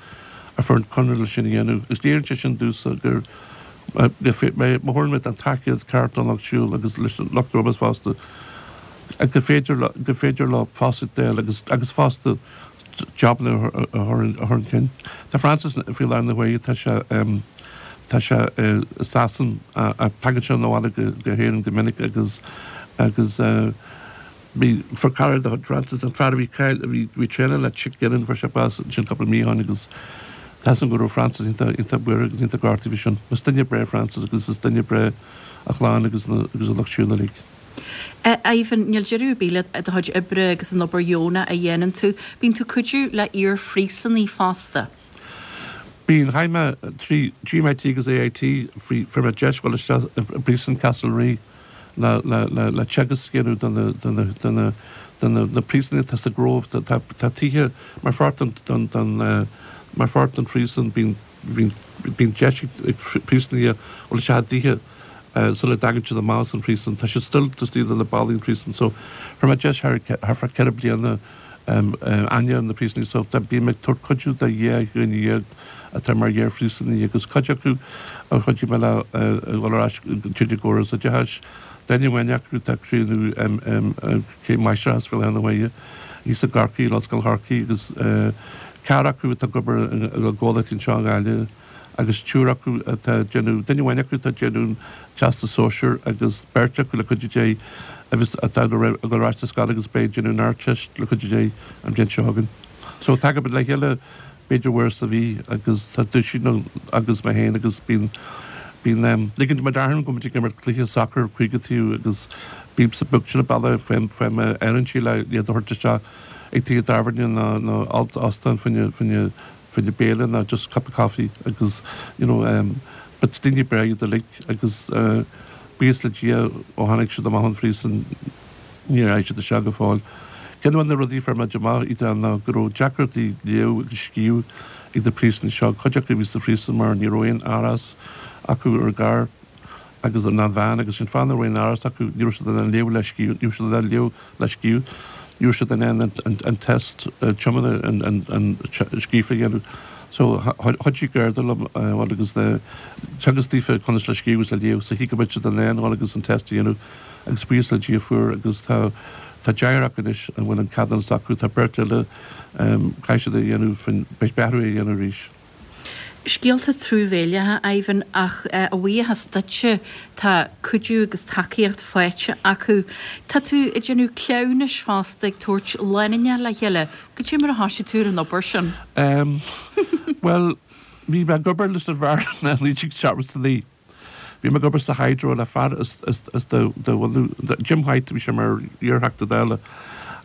a fuair an conradh leis sin a dhéanamh. Agus léiríonn sé sin domhsa gur má thabharann muid an tacaíocht ceart don lucht siúil agus leis an lucht gnó fosta gur féidir gur féidir leo fostaíocht a fháil agus agus fosta jabanna a chur a chur chun cinn. Tá Francis faoi láthair na huaighe, tá sé tá sé i Sasain ach tagann sé abhaile go go hÉirinn go minic agus agus Bhí, fuair cara de chuid Francis, an fear a bhí cáil, a bhí, bhí traenáil le Chick Gillen, fuair sé bás ansin cúpla mí ó shin agus tá 'fhios agam go raibh Francis iontach, iontach buartha agus iontach gortaithe faoi sin. Is duine breá Francis agus is duine breá a chlann agus na, agus an lucht siúil uilig. Ivan, níl deireadh ar bith le do chuid oibre agus an obair dheonach a dhéanann tú. Bíonn tú ag cuidiú le iar-phríosúnaigh fosta. Bíonn, chaith mé trí GMIT agus AIT, faoi, fuair mé deis dhul isteach i bpríosún Castlerea le, le, le, le teagasc a dhéanamh do na, do na, do na, do na, na príosúnaigh atá sa Grove. Tá, tá, tá tithe mar pháirt den, den, den, mar pháirt den phríosún, bíonn, bíonn, bíonn deis ag, ag príosúnaigh dhul isteach i dtithe sula dtagann siad amach as an phríosún. Tá siad still istigh de na ballaí an phríosúin so fuair mé deis thar, thar feadh ceithre bliana aithne ar na príosúnaigh so bím ag tabhairt cuidiú do dheich dhuine dhéag atá mar iar-phríosúnaigh agus cuid acu a chuidigh mé leo a dhul ar ais tríd an gcóras oideachais. Duine amháin acu atá ag críochnú céim máistreachta faoi láthair na huaire thíos i gCorcaigh, in Ollscoil Chorcaí agus ceathrar acu atá ag obair i gcomhlachtaí anseo i nGaillimh. agus triúr acu atá ag déanamh, duine amháin acu atá ag déanamh an Teastas Sóisear agus beirt acu le cuidiú Dé agus atá ag dul ar ais sa scoil agus beidh ag déanamh an Ardteist le cuidiú Dé an bhliain seo chugainn. So tagaimid le chéile b'fhéidir uair sa mhí agus tá duisín agus mé féin agus bíonn, bíonn em, ligeann muid orthu go muid ag imirt cluiche sacair cúig taobh agus bímse booked sin an bealach faoi faoi m'fhearann sí le iad a thabhairt isteach ag tithe tábhairne nó nó óstán fá choinne fá choinne fá choinne béile ná just cup of coffee agus you know um but daoine breá iad uilig agus uh buíochas le Dia ó tháinig siad amach ón phríosún níor raghaidh siad isteach go fóill. Ceann de na rudaí a fuair muid amach Edel ná go raibh deacrachtaí léamh agus scríobh ag na príosúnaigh seo, cuid acu a bhí sa phríosún mar ní raibh aon árachas acu ar an gcarr agus ná an veain agus sin fáth nach raibh aon árachas acu, ní raibh siad in ann léamh le scríobh, ní raibh siad in ann léamh le scríobh. Ní raibh siad in ann an test tiomána scríofa a dhéanamh so chuidigh Garda liom bhuel agus teagasc daofa conas le scríobh agus le léamh sa chaoi go mbeadh siad in ann bhuel agus an test a dhéanamh agus buíochas le Dia fuair agus tá tá deichniúr acu anois a bhfuil an ceadúnas acu, tá beirt eile caithfidh siad é a dhéanamh beidh orthu é a dhéanamh arís. Scéalta truamhéileacha, Ivan, ach a bhuíochas duitse, tá cuidiú agus tacaíocht faighte acu. Tá tú ag déanamh cleamhnais fosta, ag tabhairt lánúineacha le chéile. Cad é mar a thoisigh tú ar an obair sin? Em, bhuel, bhí mé ag obair leis an bhfear in naoi déag seachtó a naoi. Bhí mé ag obair sa Hydro le fear as, as, as de, de bhunú, Jim White, bhí sé mar iar-Theachta Dála,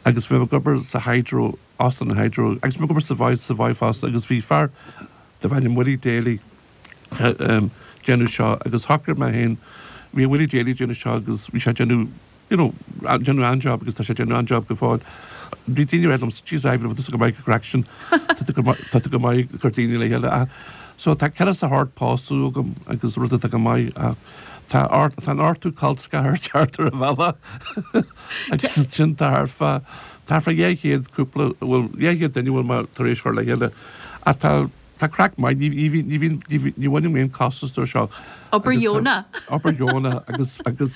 agus bhí mé ag obair sa Hydro, Austin Hydro, agus bhí mé ag obair sa Savoy, Savoy fosta, agus bhí fear, darbh ainm Willie Daly déanamh seo agus shocraigh mé féin, bhí Willie Daly déanamh seo agus bhí sé déanamh you know déanamh an-job agus tá sé déanamh an-job go fóill. Bhí daoine ag rá liom, jeez Ivan, bhfuil tusa go maith ag craic sin, tá tú go maith, tá tú go maith ag cur daoine le chéile ach so tá ceithre is a hocht pósadh agam agus rud atá go maith ach tá ort, tá an ochtú col ceathar thart ar an bhealach agus sin tá thart fá, tá thart fá dhá chéad cúpla, bhuel dhá chéad duine a bhfuil mé tar éis cur le chéile ach tá Tá craic maith, ní, ní, ní bhíonn, ní, ní, ní bhainim aon costas de seo. Obair dheonach. Obair dheonach agus, agus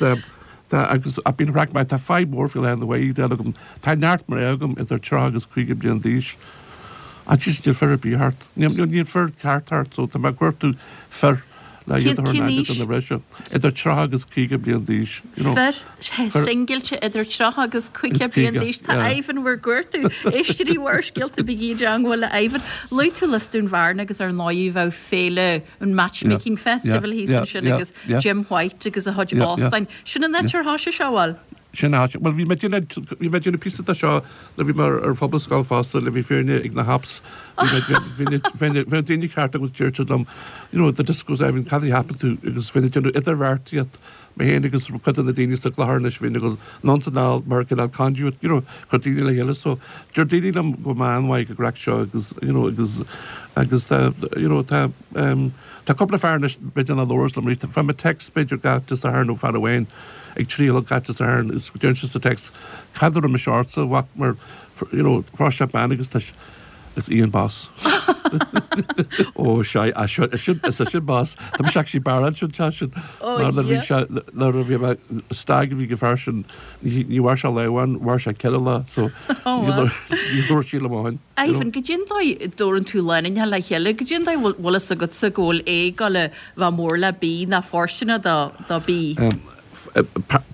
tá, agus ach bíonn craic maith, tá fadhb mhór faoi láthair na bhfadhb agam. Tá neart mná agam idir tríocha agus caoga bliain d'aois Ah, jeez, níl fear ar bith thart. Níl níl fear ceart thart, so tá mé ag cuartú fir le iad a chur in aithne do na mná seo. Idir tríocha agus caoga bliain d'aois, you know. Fir singilte idir tríocha agus caoga bliain d'aois. Tá Ivan bhur gcuartú. Éisteoirí Bharrscéalta bígí i dteangmháil le Ivan. Luaigh tú Lios Dúin Bhearna agus ar ndóigh bheadh féile an Matchmaking Festival thíos ansin agus Jim White agus a chuid óstáin. Sin an áit ar thoisigh sé, bhfuil? Sin an áit. Bhuel, bhí mé ag déanamh, bhí mé ag déanamh píosa de seo nuair a bhí mé ar Phobalscoil fosta, le bhí fírinne ag na hApps. Bhí mé, bhí bhí bhí daoine ceart agus deir siad liom, you know, the discos, Ivan, cad a cheapann tú? Agus bhí mé ag déanamh idirbheartaíocht, mé féin agus cuid de na daoine sa gclochar anois, bhí mé ag dul anonn is anall mar cineál conduit, you know, chur daoine le chéile. So, deir daoine liom go mbeidh an-mhaith ag an gcraic seo agus, you know, agus, agus tá, you know, tá, um, tá cúpla fear anois, b'fhéidir nach labhras liom arís, fuair mé text b'fhéidir gach Dé Sathairn ó fear amháin, ag trí a chlog gach Dé Sathairn agus deireann sé sa text cad a raibh mise ortsa a mhac mar you know phós sé bean agus tá agus í an boss. Ó sea, a seo sin is é sin boss. Tá mise actually barráilte sin tá sin Ó mar nuair a bhí yeah. sé nuair a bhí mé stag a bhí ag an fear sin ní ní mhair sé lá amháin mhair sé ceithre lá so Ó ní wow. labhair ní labhair sí liom ó shin you know. Ivan, goidé an dóigh a dtabharann tú lánúineacha le chéile, goidé an dóigh bhfuil bhfuil fhios agatsa go bhfuil A ag gabháil a bheith mór le B ná fóirsteanach do do B? Um,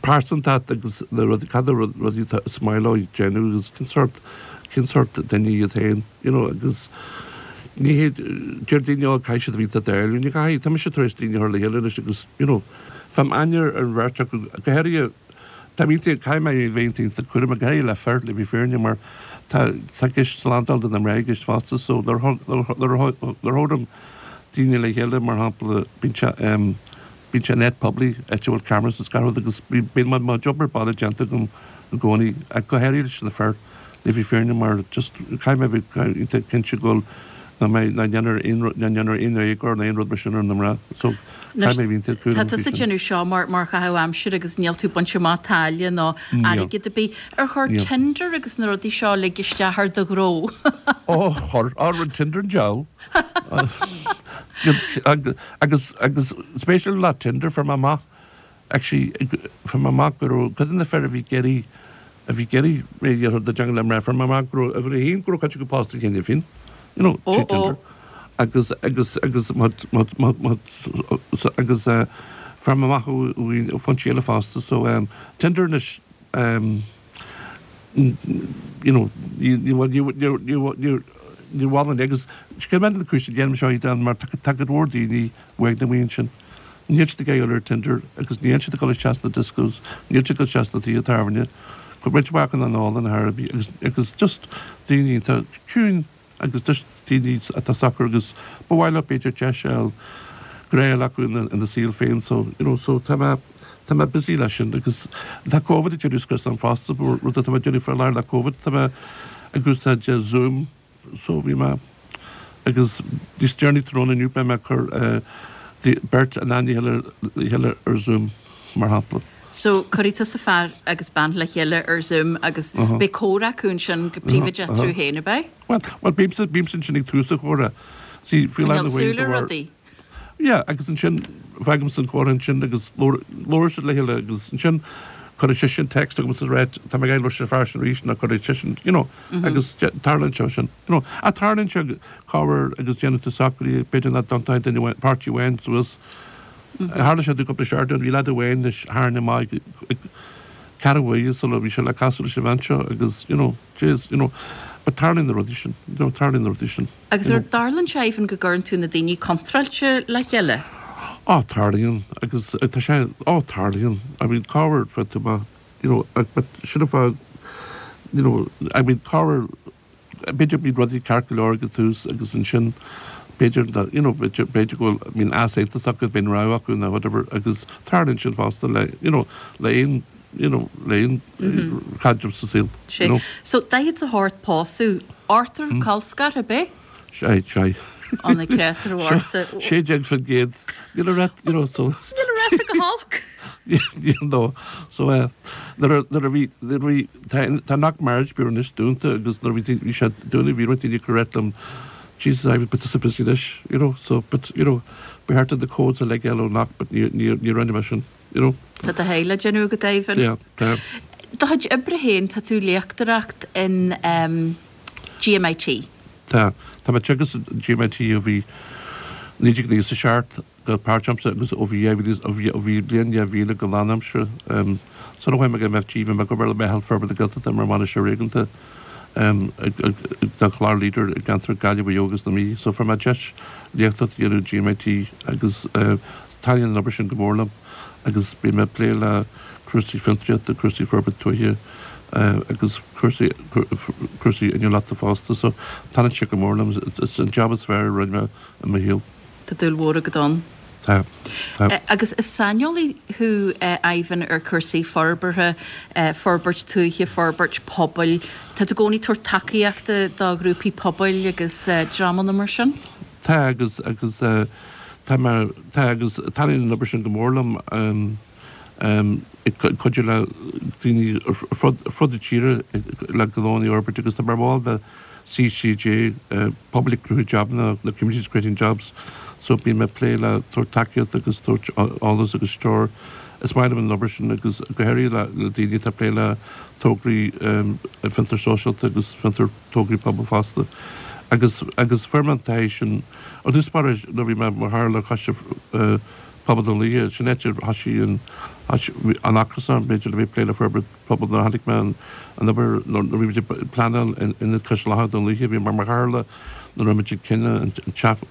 pearsantacht agus na rudaí, cad é rudaí atá is maith leo déanamh agus cén sórt, cén sórt duine iad féin, you know, agus ní hé, deir daoine, ó, caithfidh siad a bheith iontach dáiríre, ní chaithfidh, tá mise tar éis daoine a chur le chéile anois agus, you know, faighim aithne ar an bheirt acu, go háirithe, tá mé iontach, caithfidh mé a bheith iontach cúramach, go háirithe le fir, le bheith fírinne, mar tá, tá gceist slándáil do na mná i gceist fosta, so nuair a, nuair a, nuair a thabhraim daoine le chéile, mar shampla, bíonn sé, em, Bíonn sé in áit poiblí, áit a bhfuil cameras is gach rud agus bíonn mo job ar baile déanta agam i gcónaí, ach go háirithe leis na fir, le bheith fírinne mar just caithfidh mé a bheith iontach cinnte go bhfuil nach mbeidh, nach ndéanfar aon rud, nach ndéanfar aon éagóir nó aon rud mar sin ar na mná. So Anois, caithfidh mé a bheith iontach tá cúramach faoi tusa ag sin. déanamh seo mar, mar chaitheamh aimsire agus níl tú ag baint amach táille nó Níl. airgead ar bith. Ar chuir Níl. Tinder agus na rudaí seo uilig isteach ar do ghnó? Ó, chuir, á, rinne Tinder an diabhal. Agus agus spéisiúil le Tinder fuair mé amach actually fuair mé amach go raibh cuid de na fir a bhí ag iarraidh a bhí ag iarraidh réidh ar do teanga le mná fuair mé amach go raibh uimhir a haon go raibh cuid acu pósta cheana féin you know Ó trí ó. Tinder agus agus agus má má má má agus eh, fuair mé amach ó ó foinsí eile fosta so um, Tinder anois um, you know ní ní ní ní ní ní bhhain agus scéil na cúis déanam seo iad mar tá go leor daoine uaidh na bhíonn sin. Níl siad ag dul ar Tinder agus níl siad ag dul isteach sna discos, níl siad ag dul isteach sna tithe tábhairne, go roinnt mhaith acu an ól an thar agus agus just daoine atá ciúin agus just daoine atá socair agus ba mhaith leo b'fhéidir deis a fháil grá a ghlacadh ina ina saol féin so you know so tá mé tá mé busy leis sin agus tá Covid ag déanamh scrios orm fosta rud atá mé ag déanamh faoi láthair le Covid tá mé ag úsáid Zoom so bhí mé agus níos deireanaí tráthnóna inniu beidh mé ag cur beirt in aithne a chéile ar Zoom mar shampla. So cuirfidh tusa fear agus bean le chéile ar Zoom agus beidh comhrá acu ansin go príobháideach eatarthu féin, ab ea? Well, well bímse bímse ansin ag tús an chomhrá. See, faoi láthair Coinneáil na súil ar rudaí. Yeah, agus ansin fágaimse an comhrá ansin agus labhraíonn siad le chéile agus ansin cuirfidh seisean text chugam is rá tá mé ag labhairt leis an fear sin arís nó cuirfidh seisean, you know, agus tarlaíonn sé sin, you know. Ach tarlaíonn sé corruair agus déanann tú socruithe, b'fhéidir nach dtiontóidh duine amháin, páirtí amháin suas. Tharla sé cúpla seachtain, bhí leaid amháin leis tharraing amach ag ceathrú uaire sula bhí sé le casadh leis an bhean seo agus, you know, jeez, you know, but tarlaíonn na rudaí sin, you know, tarlaíonn na rudaí sin. Agus you ar know. dtarlaíonn sé even go gcuireann tú na daoine contráilte le chéile? Á, tarlaíonn, agus tá sé, á, tarlaíonn, I mean, corruair fá tú ma, you know, but sin an fáth, you know, I mean, corruair, b'fhéidir bíonn rudaí ceart go leor ag an tús agus ansin b'fhéidir that, you know, b'fhéidir, b'fhéidir go bhfuil, I mean, easaontas acu, bíonn rogha acu nó whatever, agus tarlaíonn sin fosta le, you know, le aon, you know, le aon chaidreamh sa saol, Sé. you know. So, daichead is a hocht pósadh, ochtar colscartha, ab ea? Sé, sé. Ó na créatúir mhórta. Sé déag faoin gcéad. Níl a raibh, you know, so. Níl a raibh go holc. You know, so eh, nuair a, nuair a bhí, nuair a bhí, tá, tá Knock Marriage Bureau anois dúnta agus nuair a bhí, bhí sé dúnta, bhí roinnt daoine ag rá liom, Jesus, I but tusa busy anois, you know, so, but, you know, ba cheart the codes a leigéal ó Knock, but ní, ní, ní rinne mé sin, you know. Tá do sháith le déanamh go deimhin. Yeah, tá. Do chuid oibre féin, tá tú léachtóireacht in um, GMIT. Tá tá mé teagasc G M I T ó bhí naoi déag nócha a seacht go páirtaimseartha agus ó bhí ó bhí ó bhí bliain dhá mhíle go lánaimseartha. Sula chuaigh mé go M F G, bhí mé ag obair le Meitheal Forbartha na Gaeltachta mar bhainisteoir réigiúnda do chlár Leader i gceantar Gaillimh, Mhaigh Eo agus na Mí. So fuair mé deis léachtóireacht a dhéanamh G M I T agus taitníonn an obair sin go mór liom agus bím ag plé le cúrsaí fiontraíochta, cúrsaí forbairt tuaithe agus cúrsaí cúrsaí inniúlachta fosta. So taitníonn sé go mór liom. Is an job is fearr a rinne mé i mo shaol. Tá dúil mhór agat ann. Tá. Tá. Agus is saineolaí thú, Ivan, ar chúrsaí forbartha, forbairt tuaithe, forbairt pobail. Tá tú i gcónaí ag tabhairt tacaíochta do ghrúpaí pobail agus dreamanna mar sin? Tá, agus agus tá mé tá agus taitníonn an obair sin go mór liom, ag cuidiú le daoine ar fud ar fud na tíre le gnónna a fhorbairt agus tá mé mar bhall de C C J, Pobail ag Cruthú Jabanna, na Communities Creating Jobs, so bím ag plé le tabhairt tacaíocht agus tabhairt eolas agus treoir. Is maith liom an obair sin agus go háirithe le le daoine atá ag plé le tograí fiontar sóisialta agus fiontar tograí pobail fosta. Agus agus fuair mé an taithí sin ar dtús báire nuair a bhí mé mar chathaoirleach Choiste Pobail Dún Lúiche, sin áit ar thosaigh an an ocras orm b'fhéidir le bheith ag plé le forbairt pobail nuair a chonaic mé an an obair nuair a bhí muid ag pleanáil Ionad Cois Locha Dún Lúiche, bhí mé mar chathaoirleach nuair a raibh muid ag cinneadh an teach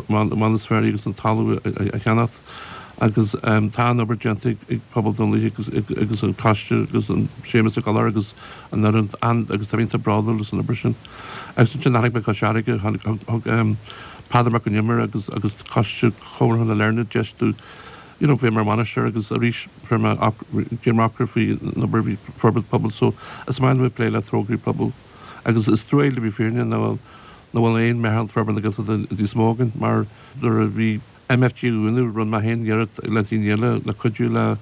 Manus Ferry agus an talamh a cheannacht agus tá an obair déanta ag pobal Dún Lúiche agus agus an coiste agus an Séamus Ó Gallchóir agus an fhoireann an agus tá iontach bródúil as an obair sin. Agus ansin tháinig mé Cois Fharraige, tháinig thug Peadar Mac Con Iomaire agus agus coiste Chonradh na Lerna deis domh you know bheith mar bhainisteoir agus arís fuair mé déan ocras faoi an obair bhí forbairt pobail, so is maith liom plé le tograí pobail agus is trua le bheith fírinneach nach bhfuil nach bhfuil aon meitheal forbartha na Gaeltachta níos mó againn mar nuair a bhí M F G á bhunú rinne mé féin iarracht le daoine eile le cuidiú le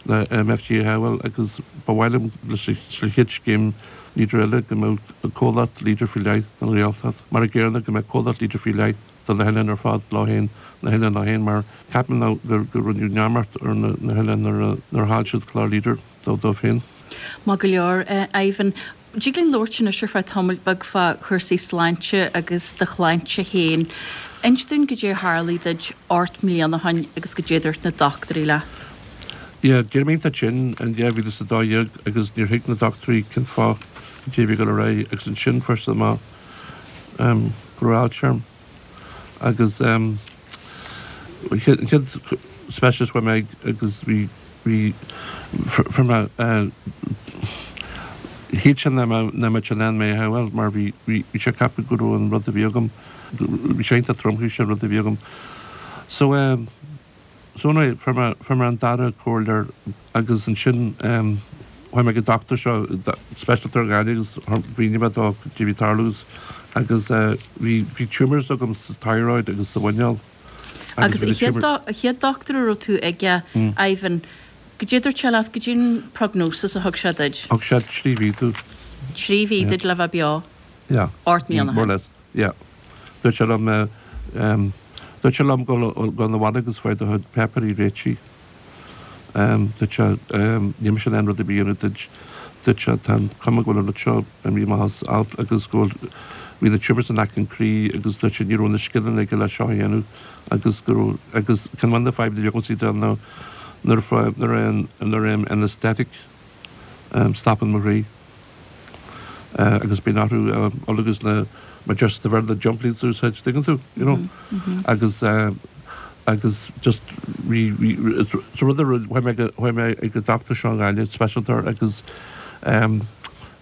le M F G a shábháil agus ba mhaith liom leis an chéad scéim Leader eile go mbeadh comhlacht Leader faoi leith don Ghaeltacht mar an gcéanna go mbeadh comhlacht Leader faoi leith do na hoileáin ar fad leo féin, na hoileáin leo féin, mar ceapaim ná gur gur rinneadh neamart ar na na hoileáin nuair a nuair a chaill siad clár Leader dó dóibh féin. Maith go leor, Ivan. Dtig linn labhairt anois ar feadh tamaill beag fá chúrsaí sláinte agus do shláinte féin. Inis dúinn goidé a tharlaigh duit ocht mbliana ó shin agus goidé a dúirt na dochtúirí leat. Yeah, d'éirigh mé iontach tinn in dhá mhíle is a dó dhéag agus níor thuig na dochtúirí cén fáth goidé a bhí ag dul ar aghaidh agus ansin fuair siad amach um, go raibh ailse orm. Agus um, an chéad specialist chuaigh mé agus bhí bhí fuair mé uh, shíl sé nach mbeadh in ann mé a shábháil mar bhí bhí sé ag ceapadh go raibh an rud a bhí agam, bhí sé iontach tromchúiseach an rud a bhí agam. So um, so anyway, fuair mé fuair mé an dara comhairleoir agus ansin um, chuaigh mé go dochtúir seo speisialtóir Gaillimh agus mhínigh mé dó goidé a bhí ag tarlú agus uh, bhí bhí tumors agam sa thyroid agus sa mhuineál. Agus an chéad dochtúir a raibh tú aige, Ivan, goidé a dúirt sé leat, goidé an prognosis a thug sé duit? Thug sé trí mhí domh. Trí mhí duit le bheith beo? Yeah. Ocht mbliana. More or less, yeah. Dúirt sé liom um, dúirt sé liom go go na bhaile agus faigh do chuid páipéirí réitithe. Um, dúirt sé um, níl mise in ann rud ar bith a dhéanamh duit. Dúirt sé tá an cuma go bhfuil an rud seo imithe amach as alt agus go bhfuil bhí na tumors in aice an chroí agus dúirt sé ní raibh na scileanna aige le seo a dhéanamh agus go raibh agus ceann de na fadhbanna a bhí agamsa ná nuair a nuair a nuair a anesthetic um, stopann mo chroí. Uh, agus bíonn orthu uh, agus na mar just the the jump leads úsáid tuigeann tú, you know mm -hmm. agus uh, agus just rí so rud chuaigh mé ag go doctor seo Gaillimh speisialtóir agus um,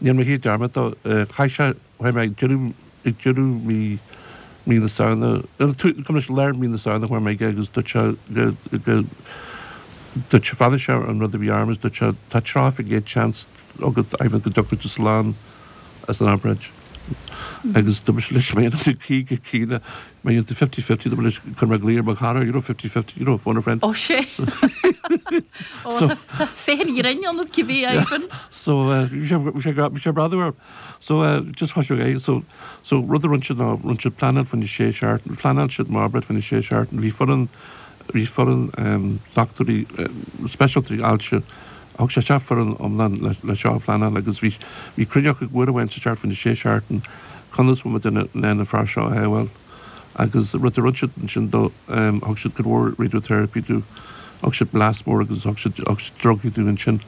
níl mé dearmad chaith sé chuaigh mé ag deireadh ag deireadh mí mí na Samhna cum leis lár mí na Samhna chuaigh mé aige agus dúirt sé go go dúirt sé fanna sé an rud a bhí orm dúirt sé tá tríocha faoin gcéad chance agat Ivan go dtiocfaidh tú slán as an obráid. Agus dúirt leis mé caoga caoga mé into fifty fifty dúirt leis chun mé glaoch ar mo chara, you know, fifty fifty, you know, phone a friend. Ó sé. Ó tá féin dhrein an cibé, Ivan. So bhí sé brother so uh, just thosaigh é so so rud a rinne siad ná rinne siad pleanáil faoi sé seachtain, phleanáil siad m'obráid faoi sé seachtain, bhí foireann bhí foireann um, dochtúirí uh, speisialtóirí ailse thug sé isteach foireann iomlán le le seo a phleanáil agus bhí bhí cruinniú uair amháin sa seachtain faoi sé seachtain. Conas bhfuil muid in ann an fear seo a shábháil? Agus rud a rinne siad ansin dó, thug siad go leor radiotherapy dó, thug siad blast mór agus thug siad thug siad drugaí dó ansin.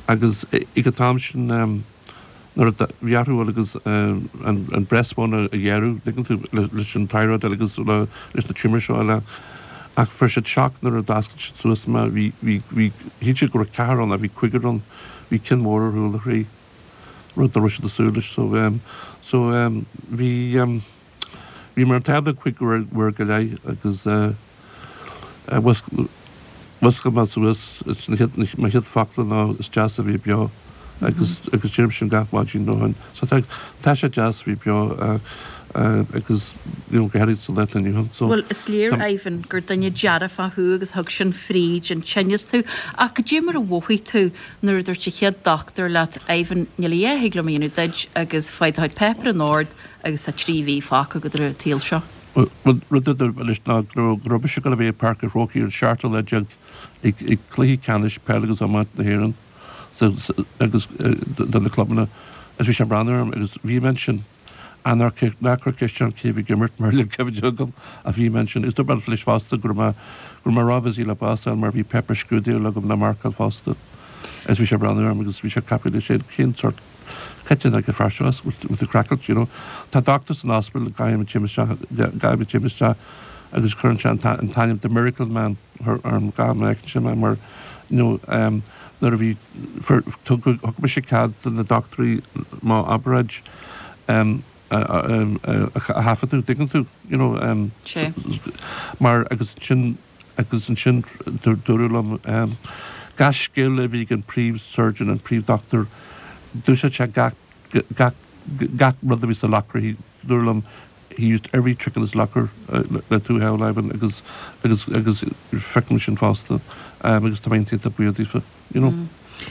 Agus ag an t-am sin nuair a bhí athrú agus an breastbone a ghearradh, tuigeann tú, leis an thyroid agus leis na tumour seo eile. Ach fuair siad shock nuair a d'oscail siad suas mé, bhí, bhí, bhí, shíl siad go raibh ceathrar ann ach bhí cúigear ann, bhí ceann mór ar chúl a chroí, rud nach raibh siad ag súil leis. So, so bhí, bhí mé ar an t-ádh cúig uair go leith agus mhuscail mé suas, is na chéad, mo chéad focla ná is deas a bheith beo agus, agus deirim sin gach maidin ó shin. So tá, tá sé deas a bheith beo agus, you know, go háirid sa lá atá inniu ann. So, Bhuel, is léir, Ivan, gur duine dearfach thú agus thug sin fríd an tinneas tú. Ach goidé mar a mhothaigh tú nuair a dúirt an chéad dochtúir leat, Ivan, níl a dhath a thig liom a dhéanamh duit agus faigh do chuid páipéar in ord agus tá trí mhí fágtha agat ar an tsaol seo? Bhuel, rud a dúirt leis ná go raibh mise ag dul a bheith i bPáirc an Chrócaigh ar an seachtú lá déag ag cluiche ceannais peile agus iomáint na hÉireann agus do na clubanna agus bhí sé ag breathnú orm agus bhí mé ansin. Ná cuir ceist orm cé a bhí ag imirt mar níl cuimhne agam ach bhí mé ansin. Agus dúirt mé leis fosta go raibh mé go raibh mé ró-bhusy le bás a fháil mar bhí páipéar scrúdaithe agam le marcáil fosta. Agus bhí sé ag breathnú orm agus bhí sé ag ceapadh leis féin cén sórt cad é an fear seo as with the crackles, you know. Tá doctor san ospidéal gach am a théim isteach gach am a théim isteach agus cuireann sé an t-ainm The Miracle Man orm gach am a fheiceann sé mé mar you know um, nuair a bhí thug mise cead do na dochtúirí m'obráid um, a thaifeadadh, tuigeann tú, you know, um, mar agus sin agus ansin dúradh liom um, gach scil a bhí ag an príomh-surgeon, an príomh-dochtúir, d'úsáid sé gach gach gach rud a bhí sa locker, he dúradh liom he used every trick in his locker uh, le tú a shábháil agus agus agus feicim sin fosta um, agus tá mé iontach buíoch daofa, you know. Mm.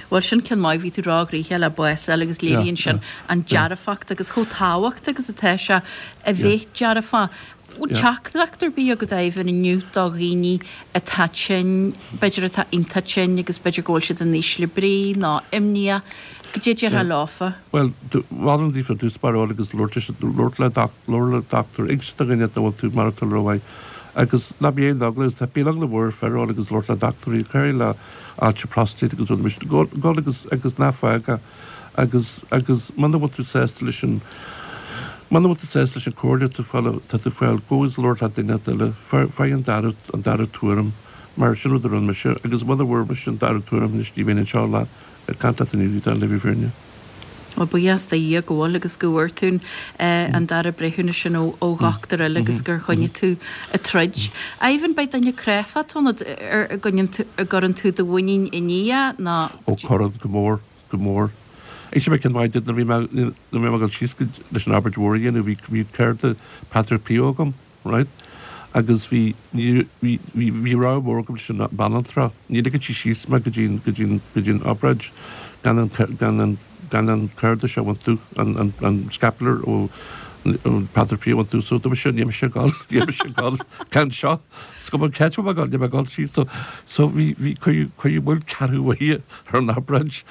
Bhuel sin ceann maith, bhí tú róghnoitheach le bás a fháil agus léiríonn sin an dearfacht agus chomh tábhachtach agus atá sé a bheith dearfach. Bhfuil teachtaireacht ar bith agat Ivan inniu do dhaoine atá tinn, b'fhéidir atá iontach tinn agus b'fhéidir go bhfuil siad in ísle brí nó imníoch, goidé a déarfá leofa? Bhuel, mholfainn daofa dtús báire dul agus labhairt le labhairt le dochtúir, inse do dhuine dá bhfuil tú maireachtáil rómhaith agus ná bí aon eagla, tá bíonn eagla mhór ar fir dul agus labhairt le dochtúirí, cuir le ailse prostate agus rudaí mar sin, gabh agus agus ná fág é agus agus muna bhfuil tú sásta leis an muna bhfuil tú sásta leis an comhairle tú fáil tá tú fáil gabh agus labhair le duine eile, faigh an dara an dara tuairim mar sin rud a rinne mise agus muna bhfuair mise an dara tuairim anois ní bheinn anseo le ag caint leat inniu le bheith fírinne. Bhuel, buíochas do Dhia go bhfuil agus go bhfuair tú an dara breithiúnas sin ó dhochtúir eile agus gur choinnigh tú ag troid. Ivan, beidh duine cráifeach ionat ar a gcuireann tú do mhuinín i nDia nó. Ó, cuireann, go mór, go mór. Inseoidh mé ceann maith duit, nuair a bhí mé, nuair a bhí mé ag dul síos leis an obráid mhór a dhéanamh, bhí, bhí cárta Patrick Pio agam, right? Agus bhí, ní, bhí, bhí, bhí rogha mór agam leis an banaltra, ní ligfeadh sí síos mé go dtí an, go dtí an, go dtí an obráid gan an, gan an, gan an cárta seo a bhaint domh, an, an, an scapular ó, ó Patrick Pio a bhaint domh, so dúirt mise, níl mise ag dul, níl mise ag dul gan seo, is cuma cén áit a bhfuil mé ag dul, níl mé ag dul síos, so, so bhí, bhí, cuireadh, cuireadh moill ceathrú uaire ar an obráid,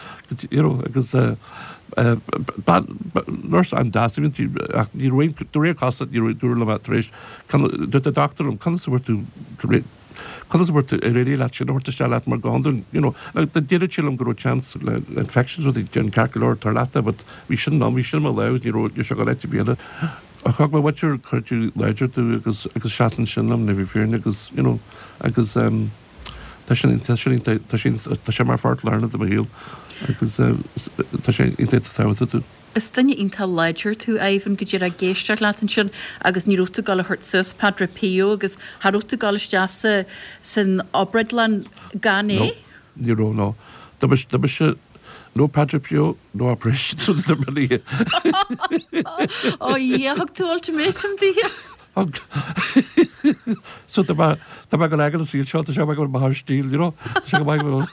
you know, agus eh, Bean, nurse an-deas a bhí inti ach ní raibh aon, de réir cás, ní raibh, dúradh liom tar éis, dúirt an dochtúir liom, conas a bhfuair tú, conas a bhfuair tú, ar éirigh leat sin a thabhairt isteach leat mar go hiondúil, you know, déarfadh sé liom go raibh chance le infections rudaí, déan ceart go leor, tar leat é, but bhí sin liom, bhí sin i mo lámh, ní raibh, ní raibh sé ag dul áit ar bith eile. Ach thug mo mhuintir cuidiú láidir domh agus, agus seasann sin liom, le bheith fírinne agus, you know, agus ehm, tá sin, tá sin, tá sin, tá sé mar pháirt lárnach de mo shaol agus tá sé iontach tábhachtach domh. Is duine iontach láidir tú, Ivan, go díreach ag éisteacht leat ansin agus ní raibh tú ag dul a thabhairt suas Padre Pio agus cha raibh tú ag dul isteach sa, san obrádlann gan é? No, ní raibh, no. Dá mba, dá mba mise, no Padre Pio, no operation, so dá mba ní. Ó Dhia, thug tú ultimatum di. Thug. So tá mé, tá mé ag dul ag an saol seo, tá sé go maith ar stíl, you know. Tá sé go maith go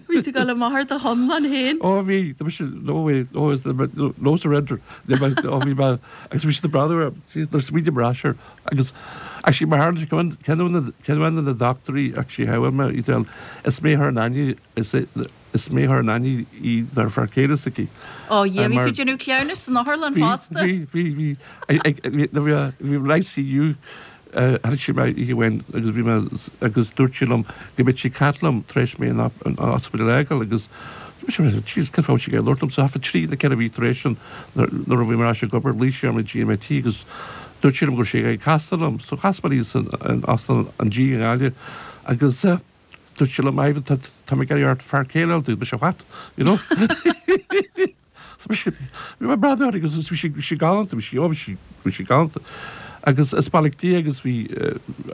Bhí tú ag dul amach ar do chonlán féin. Ó bhí, tá mise, no way, no, no, no surrender. Ní mé, ó bhí mé, agus bhí siad ag breathnú orm, nuair a smaoiním ar ais air, agus actually mar tharla sé, ceann de na, ceann de na dochtúirí actually a shábháil mé, Edel, is mé a chuir in aithne, is é, is mé a chuir in aithne í dár fear céile s'aici. Ó Dhia, bhí tú ag déanamh cleamhnais san otharlann fosta? Bhí, bhí, bhí. Bhí bhí ICU tháinig sí mé oíche amháin agus bhí mé agus dúirt sí liom go mbeadh sí ag caint liom tar éis mé an ospidéal a fhágáil agus bhí sé jeez cén fáth a bhfuil sí ag labhairt liom so half a trí nó ceithre mhí tar éis sin nuair a bhí mé ar ais ag obair ghlaoigh sí orm ag GMIT agus dúirt sí liom go raibh sí ag casadh liom so chas mé léi san Óstán an G i nGaillimh agus Dúirt sí liom, Ivan, tá, tá mé ag iarraidh ort fear céile a fháil domh. Mise, what? You know? So bhí sí, bhí mé ag breathnú uirthi agus bhí sí, bhí sí galánta, bhí sí, ó bhí sí, bhí sí galánta. Agus is beannacht Dé agus bhí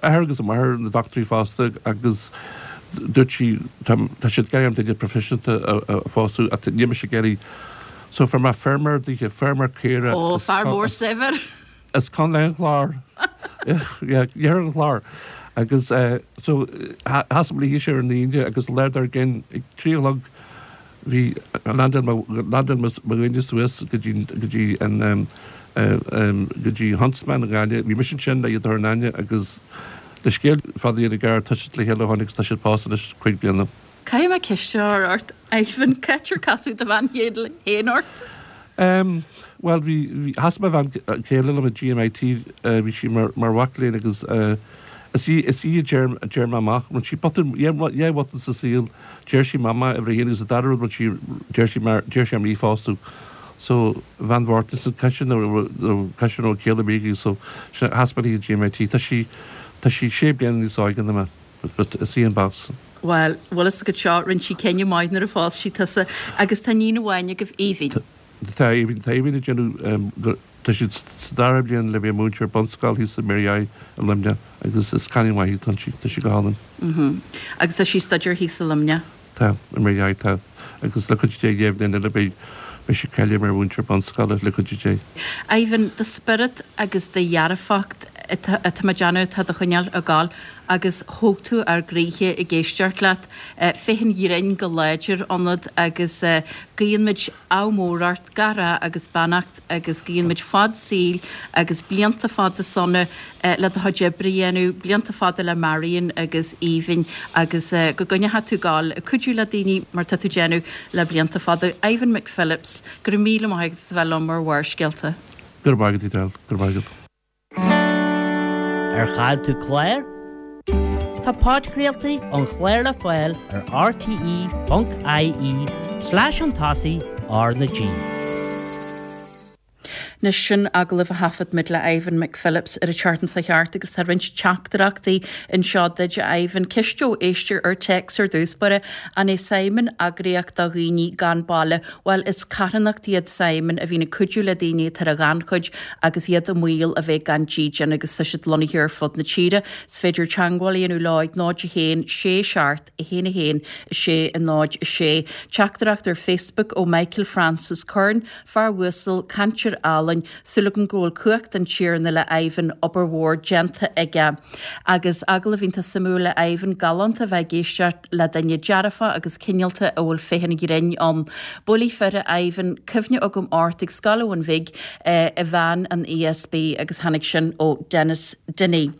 athair agus a máthair na dochtúirí fosta agus dúirt sí, tá, tá siad ag iarraidh orm duine proifisiúnta a, a phósadh ach níl mise ag iarraidh. So fuair mé feirmeoir daoithe, feirmeoir caora. Ó, fear mór saibhir. As Contae an Chláir. Iarthar an Chláir. Agus so chas mé léi ar an Aoine agus an lá dár gcionn ag trí a chlog bhí landáil mo landáil mo dhuine suas go dtí go dtí an go dtí Huntsman i nGaillimh. Bhí mise ansin le iad a chur in aithne agus le scéal fada a dhéanamh gearr tá siad le chéile ó shin agus tá siad pósta anois cúig bliana. Caithfidh mé ceist a chur ort, Ivan, cá háit ar casadh do bhean chéile féin ort? Em, bhuel, bhí, bhí, chas mo bhean chéile liom i GMIT, bhí sí mar, mar mhac léinn agus eh, is í, is í a deir, a deir mé amach, rinne sí botún, dhá, dhá bhotún sa saol, deir sí mama uimhir a haon agus an dara rud rinne sí, deir sí mar, deir sí orm í a phósadh. So, bhean Mhártain, so caithfidh sé nó, nó caithfidh sé nó céile bígí, so, sin, chas mé léi i GMIT, tá sí, tá sí sé bliana níos óige ná mé, but, but is í an boss. Bhuel, bhfuil fhios agat seo, rinne sí cinneadh maith nuair a phós sí tusa agus tá iníon amháin agaibh, Aoibhinn. Tá Aoibhinn, tá Aoibhinn ag déanamh, tá sí sa dara bliain le bheith múinteoir bunscoile thíos i Mary I i Luimneach agus is cailín mhaith í, tá sí, tá sí go hálainn. Mhm. Agus tá sí ag staidéar thíos i Luimneach? Tá, i Mary I, tá. Agus le cuidiú Dé dhá bhliain eile beidh, beidh sí cáilithe mar mhúinteoir bunscoile le cuidiú Dé. Aoibhinn, do spiorad agus do dhearfacht atá mé ag déanamh atá do choinneáil ag gabháil agus thóg tú ár gcroíthe ag éisteacht leat. Féith an ghrinn go láidir ionat agus guíonn muid ádh mór ort, gach rath agus beannacht agus guíonn muid fad saoil agus blianta fada sona le do chuid oibre a dhéanamh, blianta fada le Marion agus Aoibhinn agus go gcoinneoidh tú ag gabháil ag cuidiú le daoine mar tá tú ag déanamh le blianta fada. Ivan McPhillips, go raibh míle maith agat as a bheith liom ar Bharrscéalta. Go raibh maith agat, Edel. Go raibh maith agat. Ar chaill tú clár? Tá podchraoltaí an chláir le fáil ar rte ponc ie slash chun tosaigh R na G. Anois sin agallamh a thaifead muid le Ivan McPhillips ar an tseachtain seo thart agus tá roinnt teachtaireachtaí anseo duit, a Ivan. Ceist ó éisteoir ar téacs ar dtús báire, An é Simon eagraíocht do dhaoine gan baile? Bhuel, is carthanacht iad Simon a bhíonn ag cuidiú le daoine atá ar an ghannchuid agus iad i mbaol a bheith gan dídean agus tá siad lonnaithe ar fud na tíre. Is féidir teagmháil a dhéanamh leo ag náid a haon, sé seacht, a haon a haon, a sé, a náid, a sé. Teachtaireacht ar Facebook ó Michael Francis Curran, Fear uasal, cainteoir álainn, súil agam go bhfuil cumhacht an Tiarna le Ivan, obair mhór déanta aige. Agus agallamh iontach suimiúil le Ivan, galánta a bheith ag éisteacht le duine dearfach agus cineálta a bhfuil féith an ghrinn ann. Buailfidh fir a Ivan, cuimhne agam ort ag Scoil Abhainn Bhig i veain an ESB agus tháinig sin ó Denis Dinny.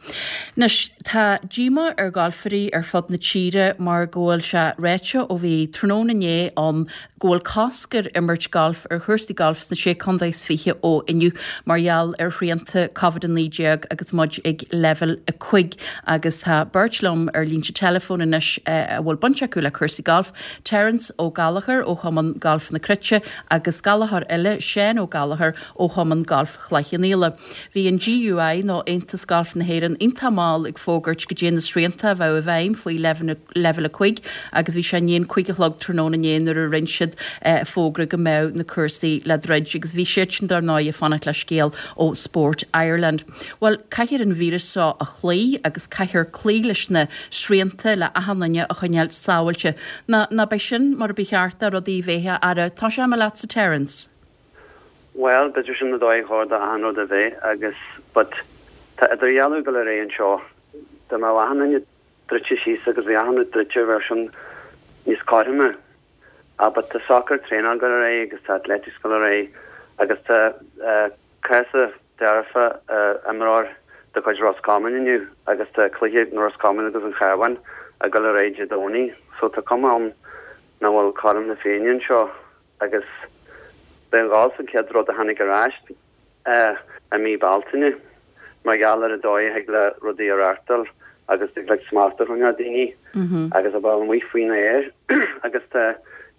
Anois, tá díomá ar ghalfairí ar fud na tíre mar go bhfuil sé ráite ó bhí tráthnóna inné ann go bhfuil cosc ar imirt gailf ar chúrsaí gailf sna Sé Contae is Fiche ó inniu mar gheall ar shrianta Covid a naoi déag agus muid ag leibhéal a cúig agus tá beirt liom ar línte teileafóin anois a bhfuil baint acu le cúrsaí gailf, Terence Ó Gallchóir ó Chumann Gailf na Cruite agus Gallchóir eile, Seán Ó Gallchóir ó Chumann Gailf Chloich Cheann Fhaola. Bhí an GUI nó Aontas Gailf na hÉireann iontach mall ag fógairt goidé na srianta a bheadh i bhfeidhm faoi leibhéal a cúig agus bhí sé i ndiaidh an cúig a chlog tráthnóna inné nuair a rinne siad fógra go mbeadh na cúrsaí le druid agus bhí siadsan dar ndóigh ag fanacht le scéal ó Sport Ireland. Bhuel, caithfear an víreas seo a chloí agus caithfear cloí leis na srianta le achan duine a choinneáil sábháilte. Ná ná beidh sin mar a ba cheart do rudaí a bheith a fheara. Tosóidh mé leatsa Terence. Bhuel, b'fhéidir sin an dóigh a chóir do achan rud a bheith agus, but tá idirdhealú ag dul ar aghaidh anseo. Dá mbeadh achan duine druidte síos agus bhí achan rud druidte bheadh sin níos cothroime. Ah but tá soccer traenáil ag dul ar aghaidh agus tá athletics ag dul ar aghaidh agus tá cás dearfa imreoir de chuid Ros Comáin inniu agus tá cluiche na Ros Comáin agus an Chabháin ag dul ar aghaidh Dé Domhnaigh so tá cuma ann nach bhfuil cothrom na Féinne anseo agus b'é an galf an chéad rud a tháinig ar ais i mí Bealtaine mar gheall ar an dóigh a thig le rudaí a reáchtáil agus thig le smacht a choinneáil ar dhaoine agus a bheith amuigh faoin aer agus tá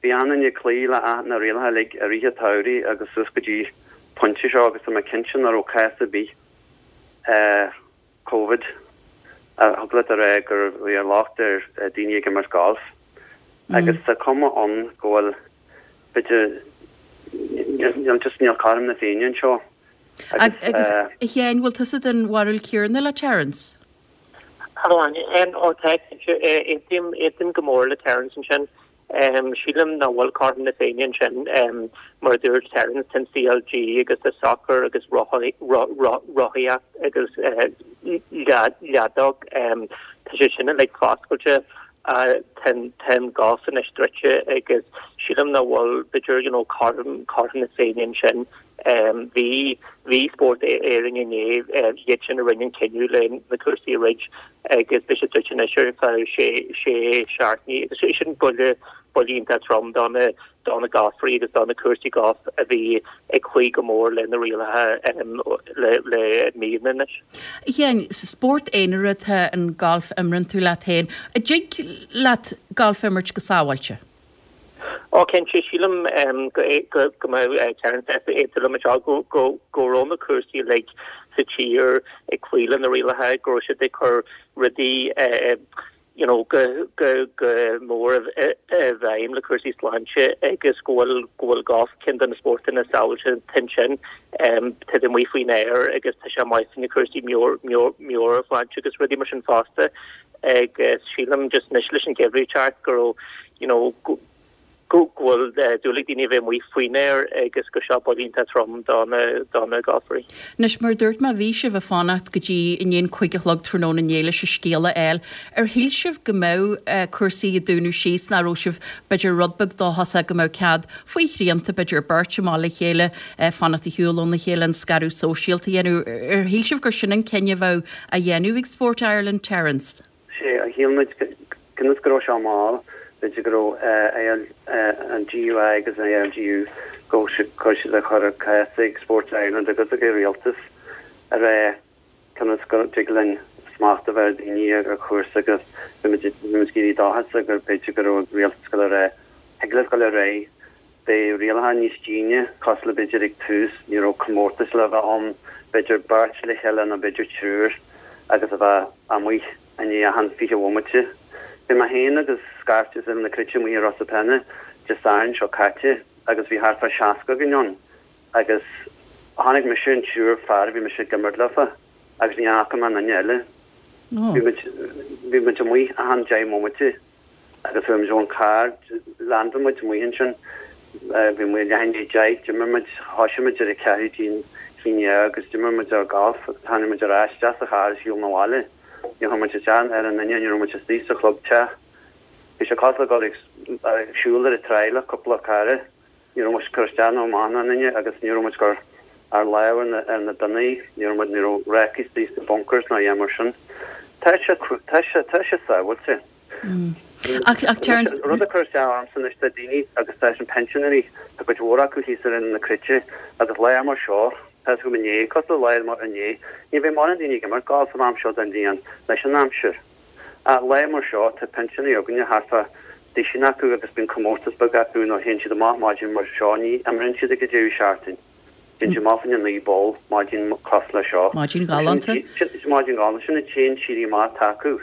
bhí achan duine ag cloí le na rialacha uilig i rith an tsamhraidh agus suas go dtí pointe seo agus tá mé cinnte nach raibh cás ar bith Covid a thig leat a rá gur bhí an locht ar daoine ag imirt galf agus tá cuma ann go bhfuil b'fhéidir níl just níl cothrom na Féinne anseo agus Agus a Sheáin, bhfuil tusa den bharúil céanna le Terence? Hello Áine, ó tá cinnte, aontaím, aontaím go mór le Terence ansin. Sílim nach bhfuil cothrom na Féinne ansin. Mar a dúirt Terence, tá an CLG agus tá sacar agus rothaíocht agus leadóg, tá sé sin uilig foscailte. Tá an golf anois druidte agus sílim nach bhfuil, b'fhéidir, you know, cothrom na Féinne ansin. Bhí, bhí Spórt Éireann inné, iad sin a rinne an cinneadh le na cúrsaí a dhruid agus beidh sé druidte anois ar feadh sé, sé seachtainí agus sin buille, buille iontach trom do na, do na galfairí agus do na cúrsaí golf a bhí ag cloí go mór le na rialacha le, le míonna anois. A Sheáin, spórt aonair atá an galf, imríonn tú leat féin. An dtig leat galf a imirt go sábháilte? Ó cinnte, sílim go go mbeadh Terence ag aontú liom anseo go go go raibh na cúrsaí uilig sa tír ag cloí le na rialacha, go raibh siad ag cur rudaí you know go go go mór i bhfeidhm le cúrsaí sláinte agus go bhfuil go bhfuil golf ceann de na spórtanna sábháilte ansin. Tá tú amuigh faoin aer agus tá sé maith faoi na cúrsaí meabhairshláinte agus rudaí mar sin fosta agus sílim just anois leis an geimhreadh ag teacht go raibh you know go go bhfuil dúil ag daoine a bheith amuigh faoin aer agus gur seo buille iontach trom do na do na galfairí. Anois, mar a dúirt mé, bhí sibh ag fanacht go dtí i ndiaidh an cúig a chlog tráthnóna inné leis an scéal a fháil. Ar shíl sibh go mbeadh cúrsaí ag dúnadh síos, nach raibh sibh b'fhéidir rud beag dóchasach go mbeadh cead faoi shrianta, b'fhéidir beirt amach le chéile, fanacht ar shiúl óna chéile, an scaradh sóisialta a dhéanamh. Ar shíl sibh gur sin an cinneadh a bheadh á dhéanamh ag Sport Ireland, Terence? Sea, shíl muid cionn is go raibh sé mall, b'fhéidir go raibh an GUI agus an ILGU go raibh siad ag cur a gcás ag Sport Ireland agus ag an Rialtas a rá conas go dtig linn smacht a bheith ar dhaoine ar an chúrsa agus bhí muid ag éirí dóchasach gur b'fhéidir go raibh an Rialtas ag dul a rá thig libh dul ar aghaidh beidh rialacha níos déine cosúil le b'fhéidir ag tús ní raibh comórtais le bheith ann b'fhéidir beirt le chéile nó b'fhéidir triúr agus a bheith amuigh i ndiaidh achan fiche bhomaite. Bhí mé féin agus scairt as Oileán na Cruite amuigh i Ros na Pena Dé Sathairn seo caite agus bhí thart fá seasca againn ann agus chonaic mise an triúr fear a bhí mise ag imirt leofa agus ní fhaca mé aon duine eile. Bhí muid bhí muid amuigh achan deich mbomaite. Agus chuaigh muid ón carr, leaindeáil muid amuigh ansin, bhí muid leath i ndiaidh deich, d'imir muid, thoisigh muid ar a ceathrú dtí haon déag agus d'imir muid ár galf agus tháinig muid ar ais isteach sa charr is shiúil 'na bhaile. Níor chuir muid isteach ar aon duine, ní raibh muid istigh sa chlub teach. Bhí sé cosúil le dul ag siúl ar an tráigh le cúpla cara. Ní raibh muid ag cur isteach ná amach ar aon duine agus ní raibh muid ag cur ár lámh ar na ar na duine, ní raibh muid, ní raibh rácaí istigh sna bunkers ná a dhath mar sin. Tá sé, tá sé, tá sé sábháilte. Ach, ach Terence. Rud a chuir isteach ormsa anois tá daoine agus tá sin pensioners, tá cuid mhór acu thíos ar Oileán na Cruite agus lá mar seo, tá fhios agam inné, cosúil le lá mar inné, ní bheidh mórán daoine ag imirt golf an am seo den bhliain leis an aimsir. Ach lá mar seo tá pinsinéirí againne thart fá duisín acu agus bíonn comórtas beag acu nó théann siad amach maidin mar seo, ní imríonn siad ag an deireadh seachtaine. Téann siad amach faoina naoi poll maidin cosúil le seo. Maidin ghalánta. Maidin ghalánta, sin an t-aon éirí amach atá acu.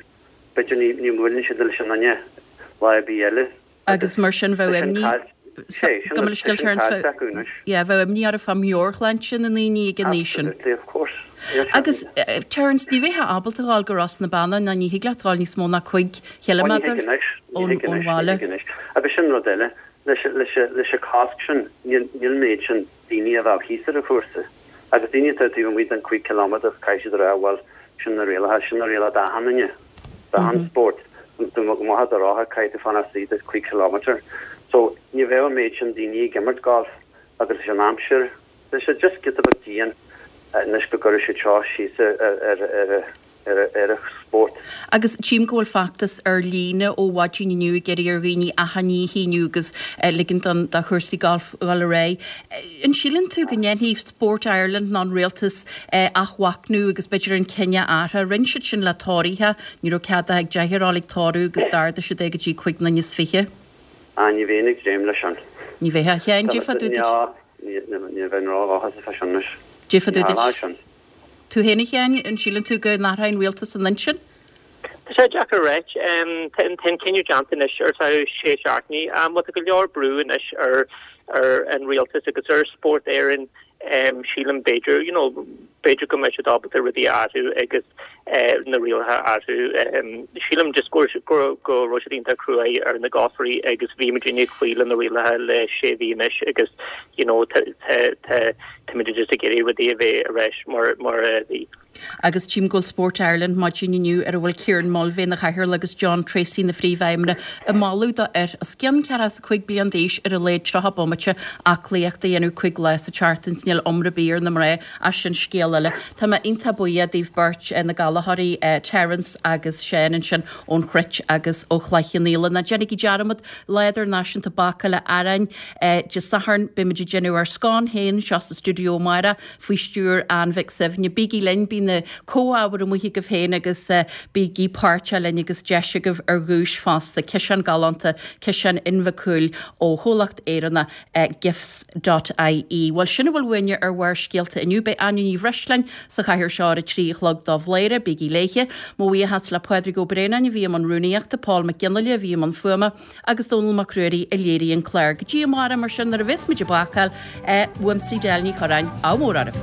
B'fhéidir ní ní bhuaileann siad leis an duine lá ar bith eile. Agus mar sin bheadh imní Gabh mo leithscéal Terence bheadh yeah bheadh imní orthu fá meabhairshláinte na ndaoine ag an aois sin. Absolutely, of course. Agus Terence ní bheifeá ábalta a ghabháil go Ros na Banna ná ní thig leat a ghabháil níos mó ná cúig chiliméadar ón ón bhaile. Agus sin rud eile, leis leis leis an cosc sin níl níl an méid sin daoine a bheadh thíos ar an chúrsa. Agus daoine atá taobh amuigh den cúig chiliméadar caithfidh siad a rá bhuel sin na rialacha, sin na rialacha d'achan duine, d'achan spórt. Dá mbeifeá ar do rothar caithfidh tú fanacht istigh de cúig chiliméadar. So ní bheadh an méid sin daoine ag imirt golf agus leis an aimsir, tá sé just giota beag dian anois go gcuirfidh siad seo síos ar ar ar ar ar an spórt. Agus tchím go bhfuil feachtas ar líne ó mhaidin inniu ag iarraidh ar dhaoine achainí a shíniú agus ligint don do chúrsaí gailf dhul ar aghaidh. An síleann tú go ndéanfaidh Sport Ireland nó an rialtas athmhachnamh agus b'fhéidir an cinneadh a athrú? Rinne siad sin le tóraithe, ní raibh cead ag deichniúr a dhul ag tórramh agus d'ardaigh siad é go dtí cúig nduine is fiche. Ah, ní bheinn ag dréim leis sin. Ní bheifeá. A Sheáin, déarfá tú duit. Ní bheinn ródhóchasach fá sin anois. Déarfá tú duit. Tú féin a Sheáin, an síleann tú go n-athróidh an rialtas a n-intinn? Tá sé deacair a ráit. Tá an cinneadh déanta anois ar feadh sé seachtainí. Bhuel tá go leor brú anois ar ar an rialtas agus ar Spórt Éireann. Sílim b'fhéidir, you know, b'fhéidir go mbeidh siad ábalta rudaí a athrú agus na rialacha a athrú. Sílim just go go go raibh siad iontach cruaidh ar na galfairí agus bhí muidinne ag cloí le na rialacha le sé mhí anois agus you know tá tá tá táimid just ag iarraidh rudaí a bheith ar ais mar mar a bhí. Agus tchím go bhfuil Sport Ireland maidin inniu ar a bhfuil Kieran Mulvey ina chathaoirleach agus John Treacy ina phríomhfheidhmeannach ag moladh do fhir os cionn ceathracha is a cúig bliain d'aois ar a laghad tríocha bomaite aclaíocht a dhéanamh cúig lá sa tseachtain. Níl iomrá ar bith ar na mná ach sin scéal eile. Tá mé iontach buíoch daoibh beirt, na galfairí Terence agus Seán ansin ón Chruit agus ó Chloich Cheann Fhaola. Ná déanaigí dearmad, Lá Idirnáisiúnta Bácála Aráin Dé Sathairn, beimid ag déanamh ár scone féin anseo sa stiúideo amárach faoi stiúir Ann Mhic Suibhne. Bígí linn, bíonn na comhábhair amuigh agaibh féin agus bígí páirteach linn agus deis agaibh ar dhuais fosta, ciseán galánta, ciseán Inbhe Cúil ó chomhlacht Éireannach Gifts dot ie. Bhuel, sin a bhfuil uainne ar Bharrscéalta inniu. Beidh Áine Ní Bhreisleáin sa chathaoir seo ar a trí a chlog do Bhladhaire. Bígí léithe. Mo bhuíochas le Pádraig Ó Braonáin a bhí i mbun rúnaíochta, Paul Mac Fhionnghaile a bhí i mbun fuaime agus Dónall Mac Ruairí a léirigh an clár. Go dtí amárach mar sin nuair a bheas muid ag bácáil, uaimse Edel Ní Chorráin, ádh mór oraibh.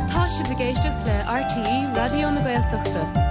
Tá sibh ag éisteacht le RTÉ Raidió na Gaeltachta.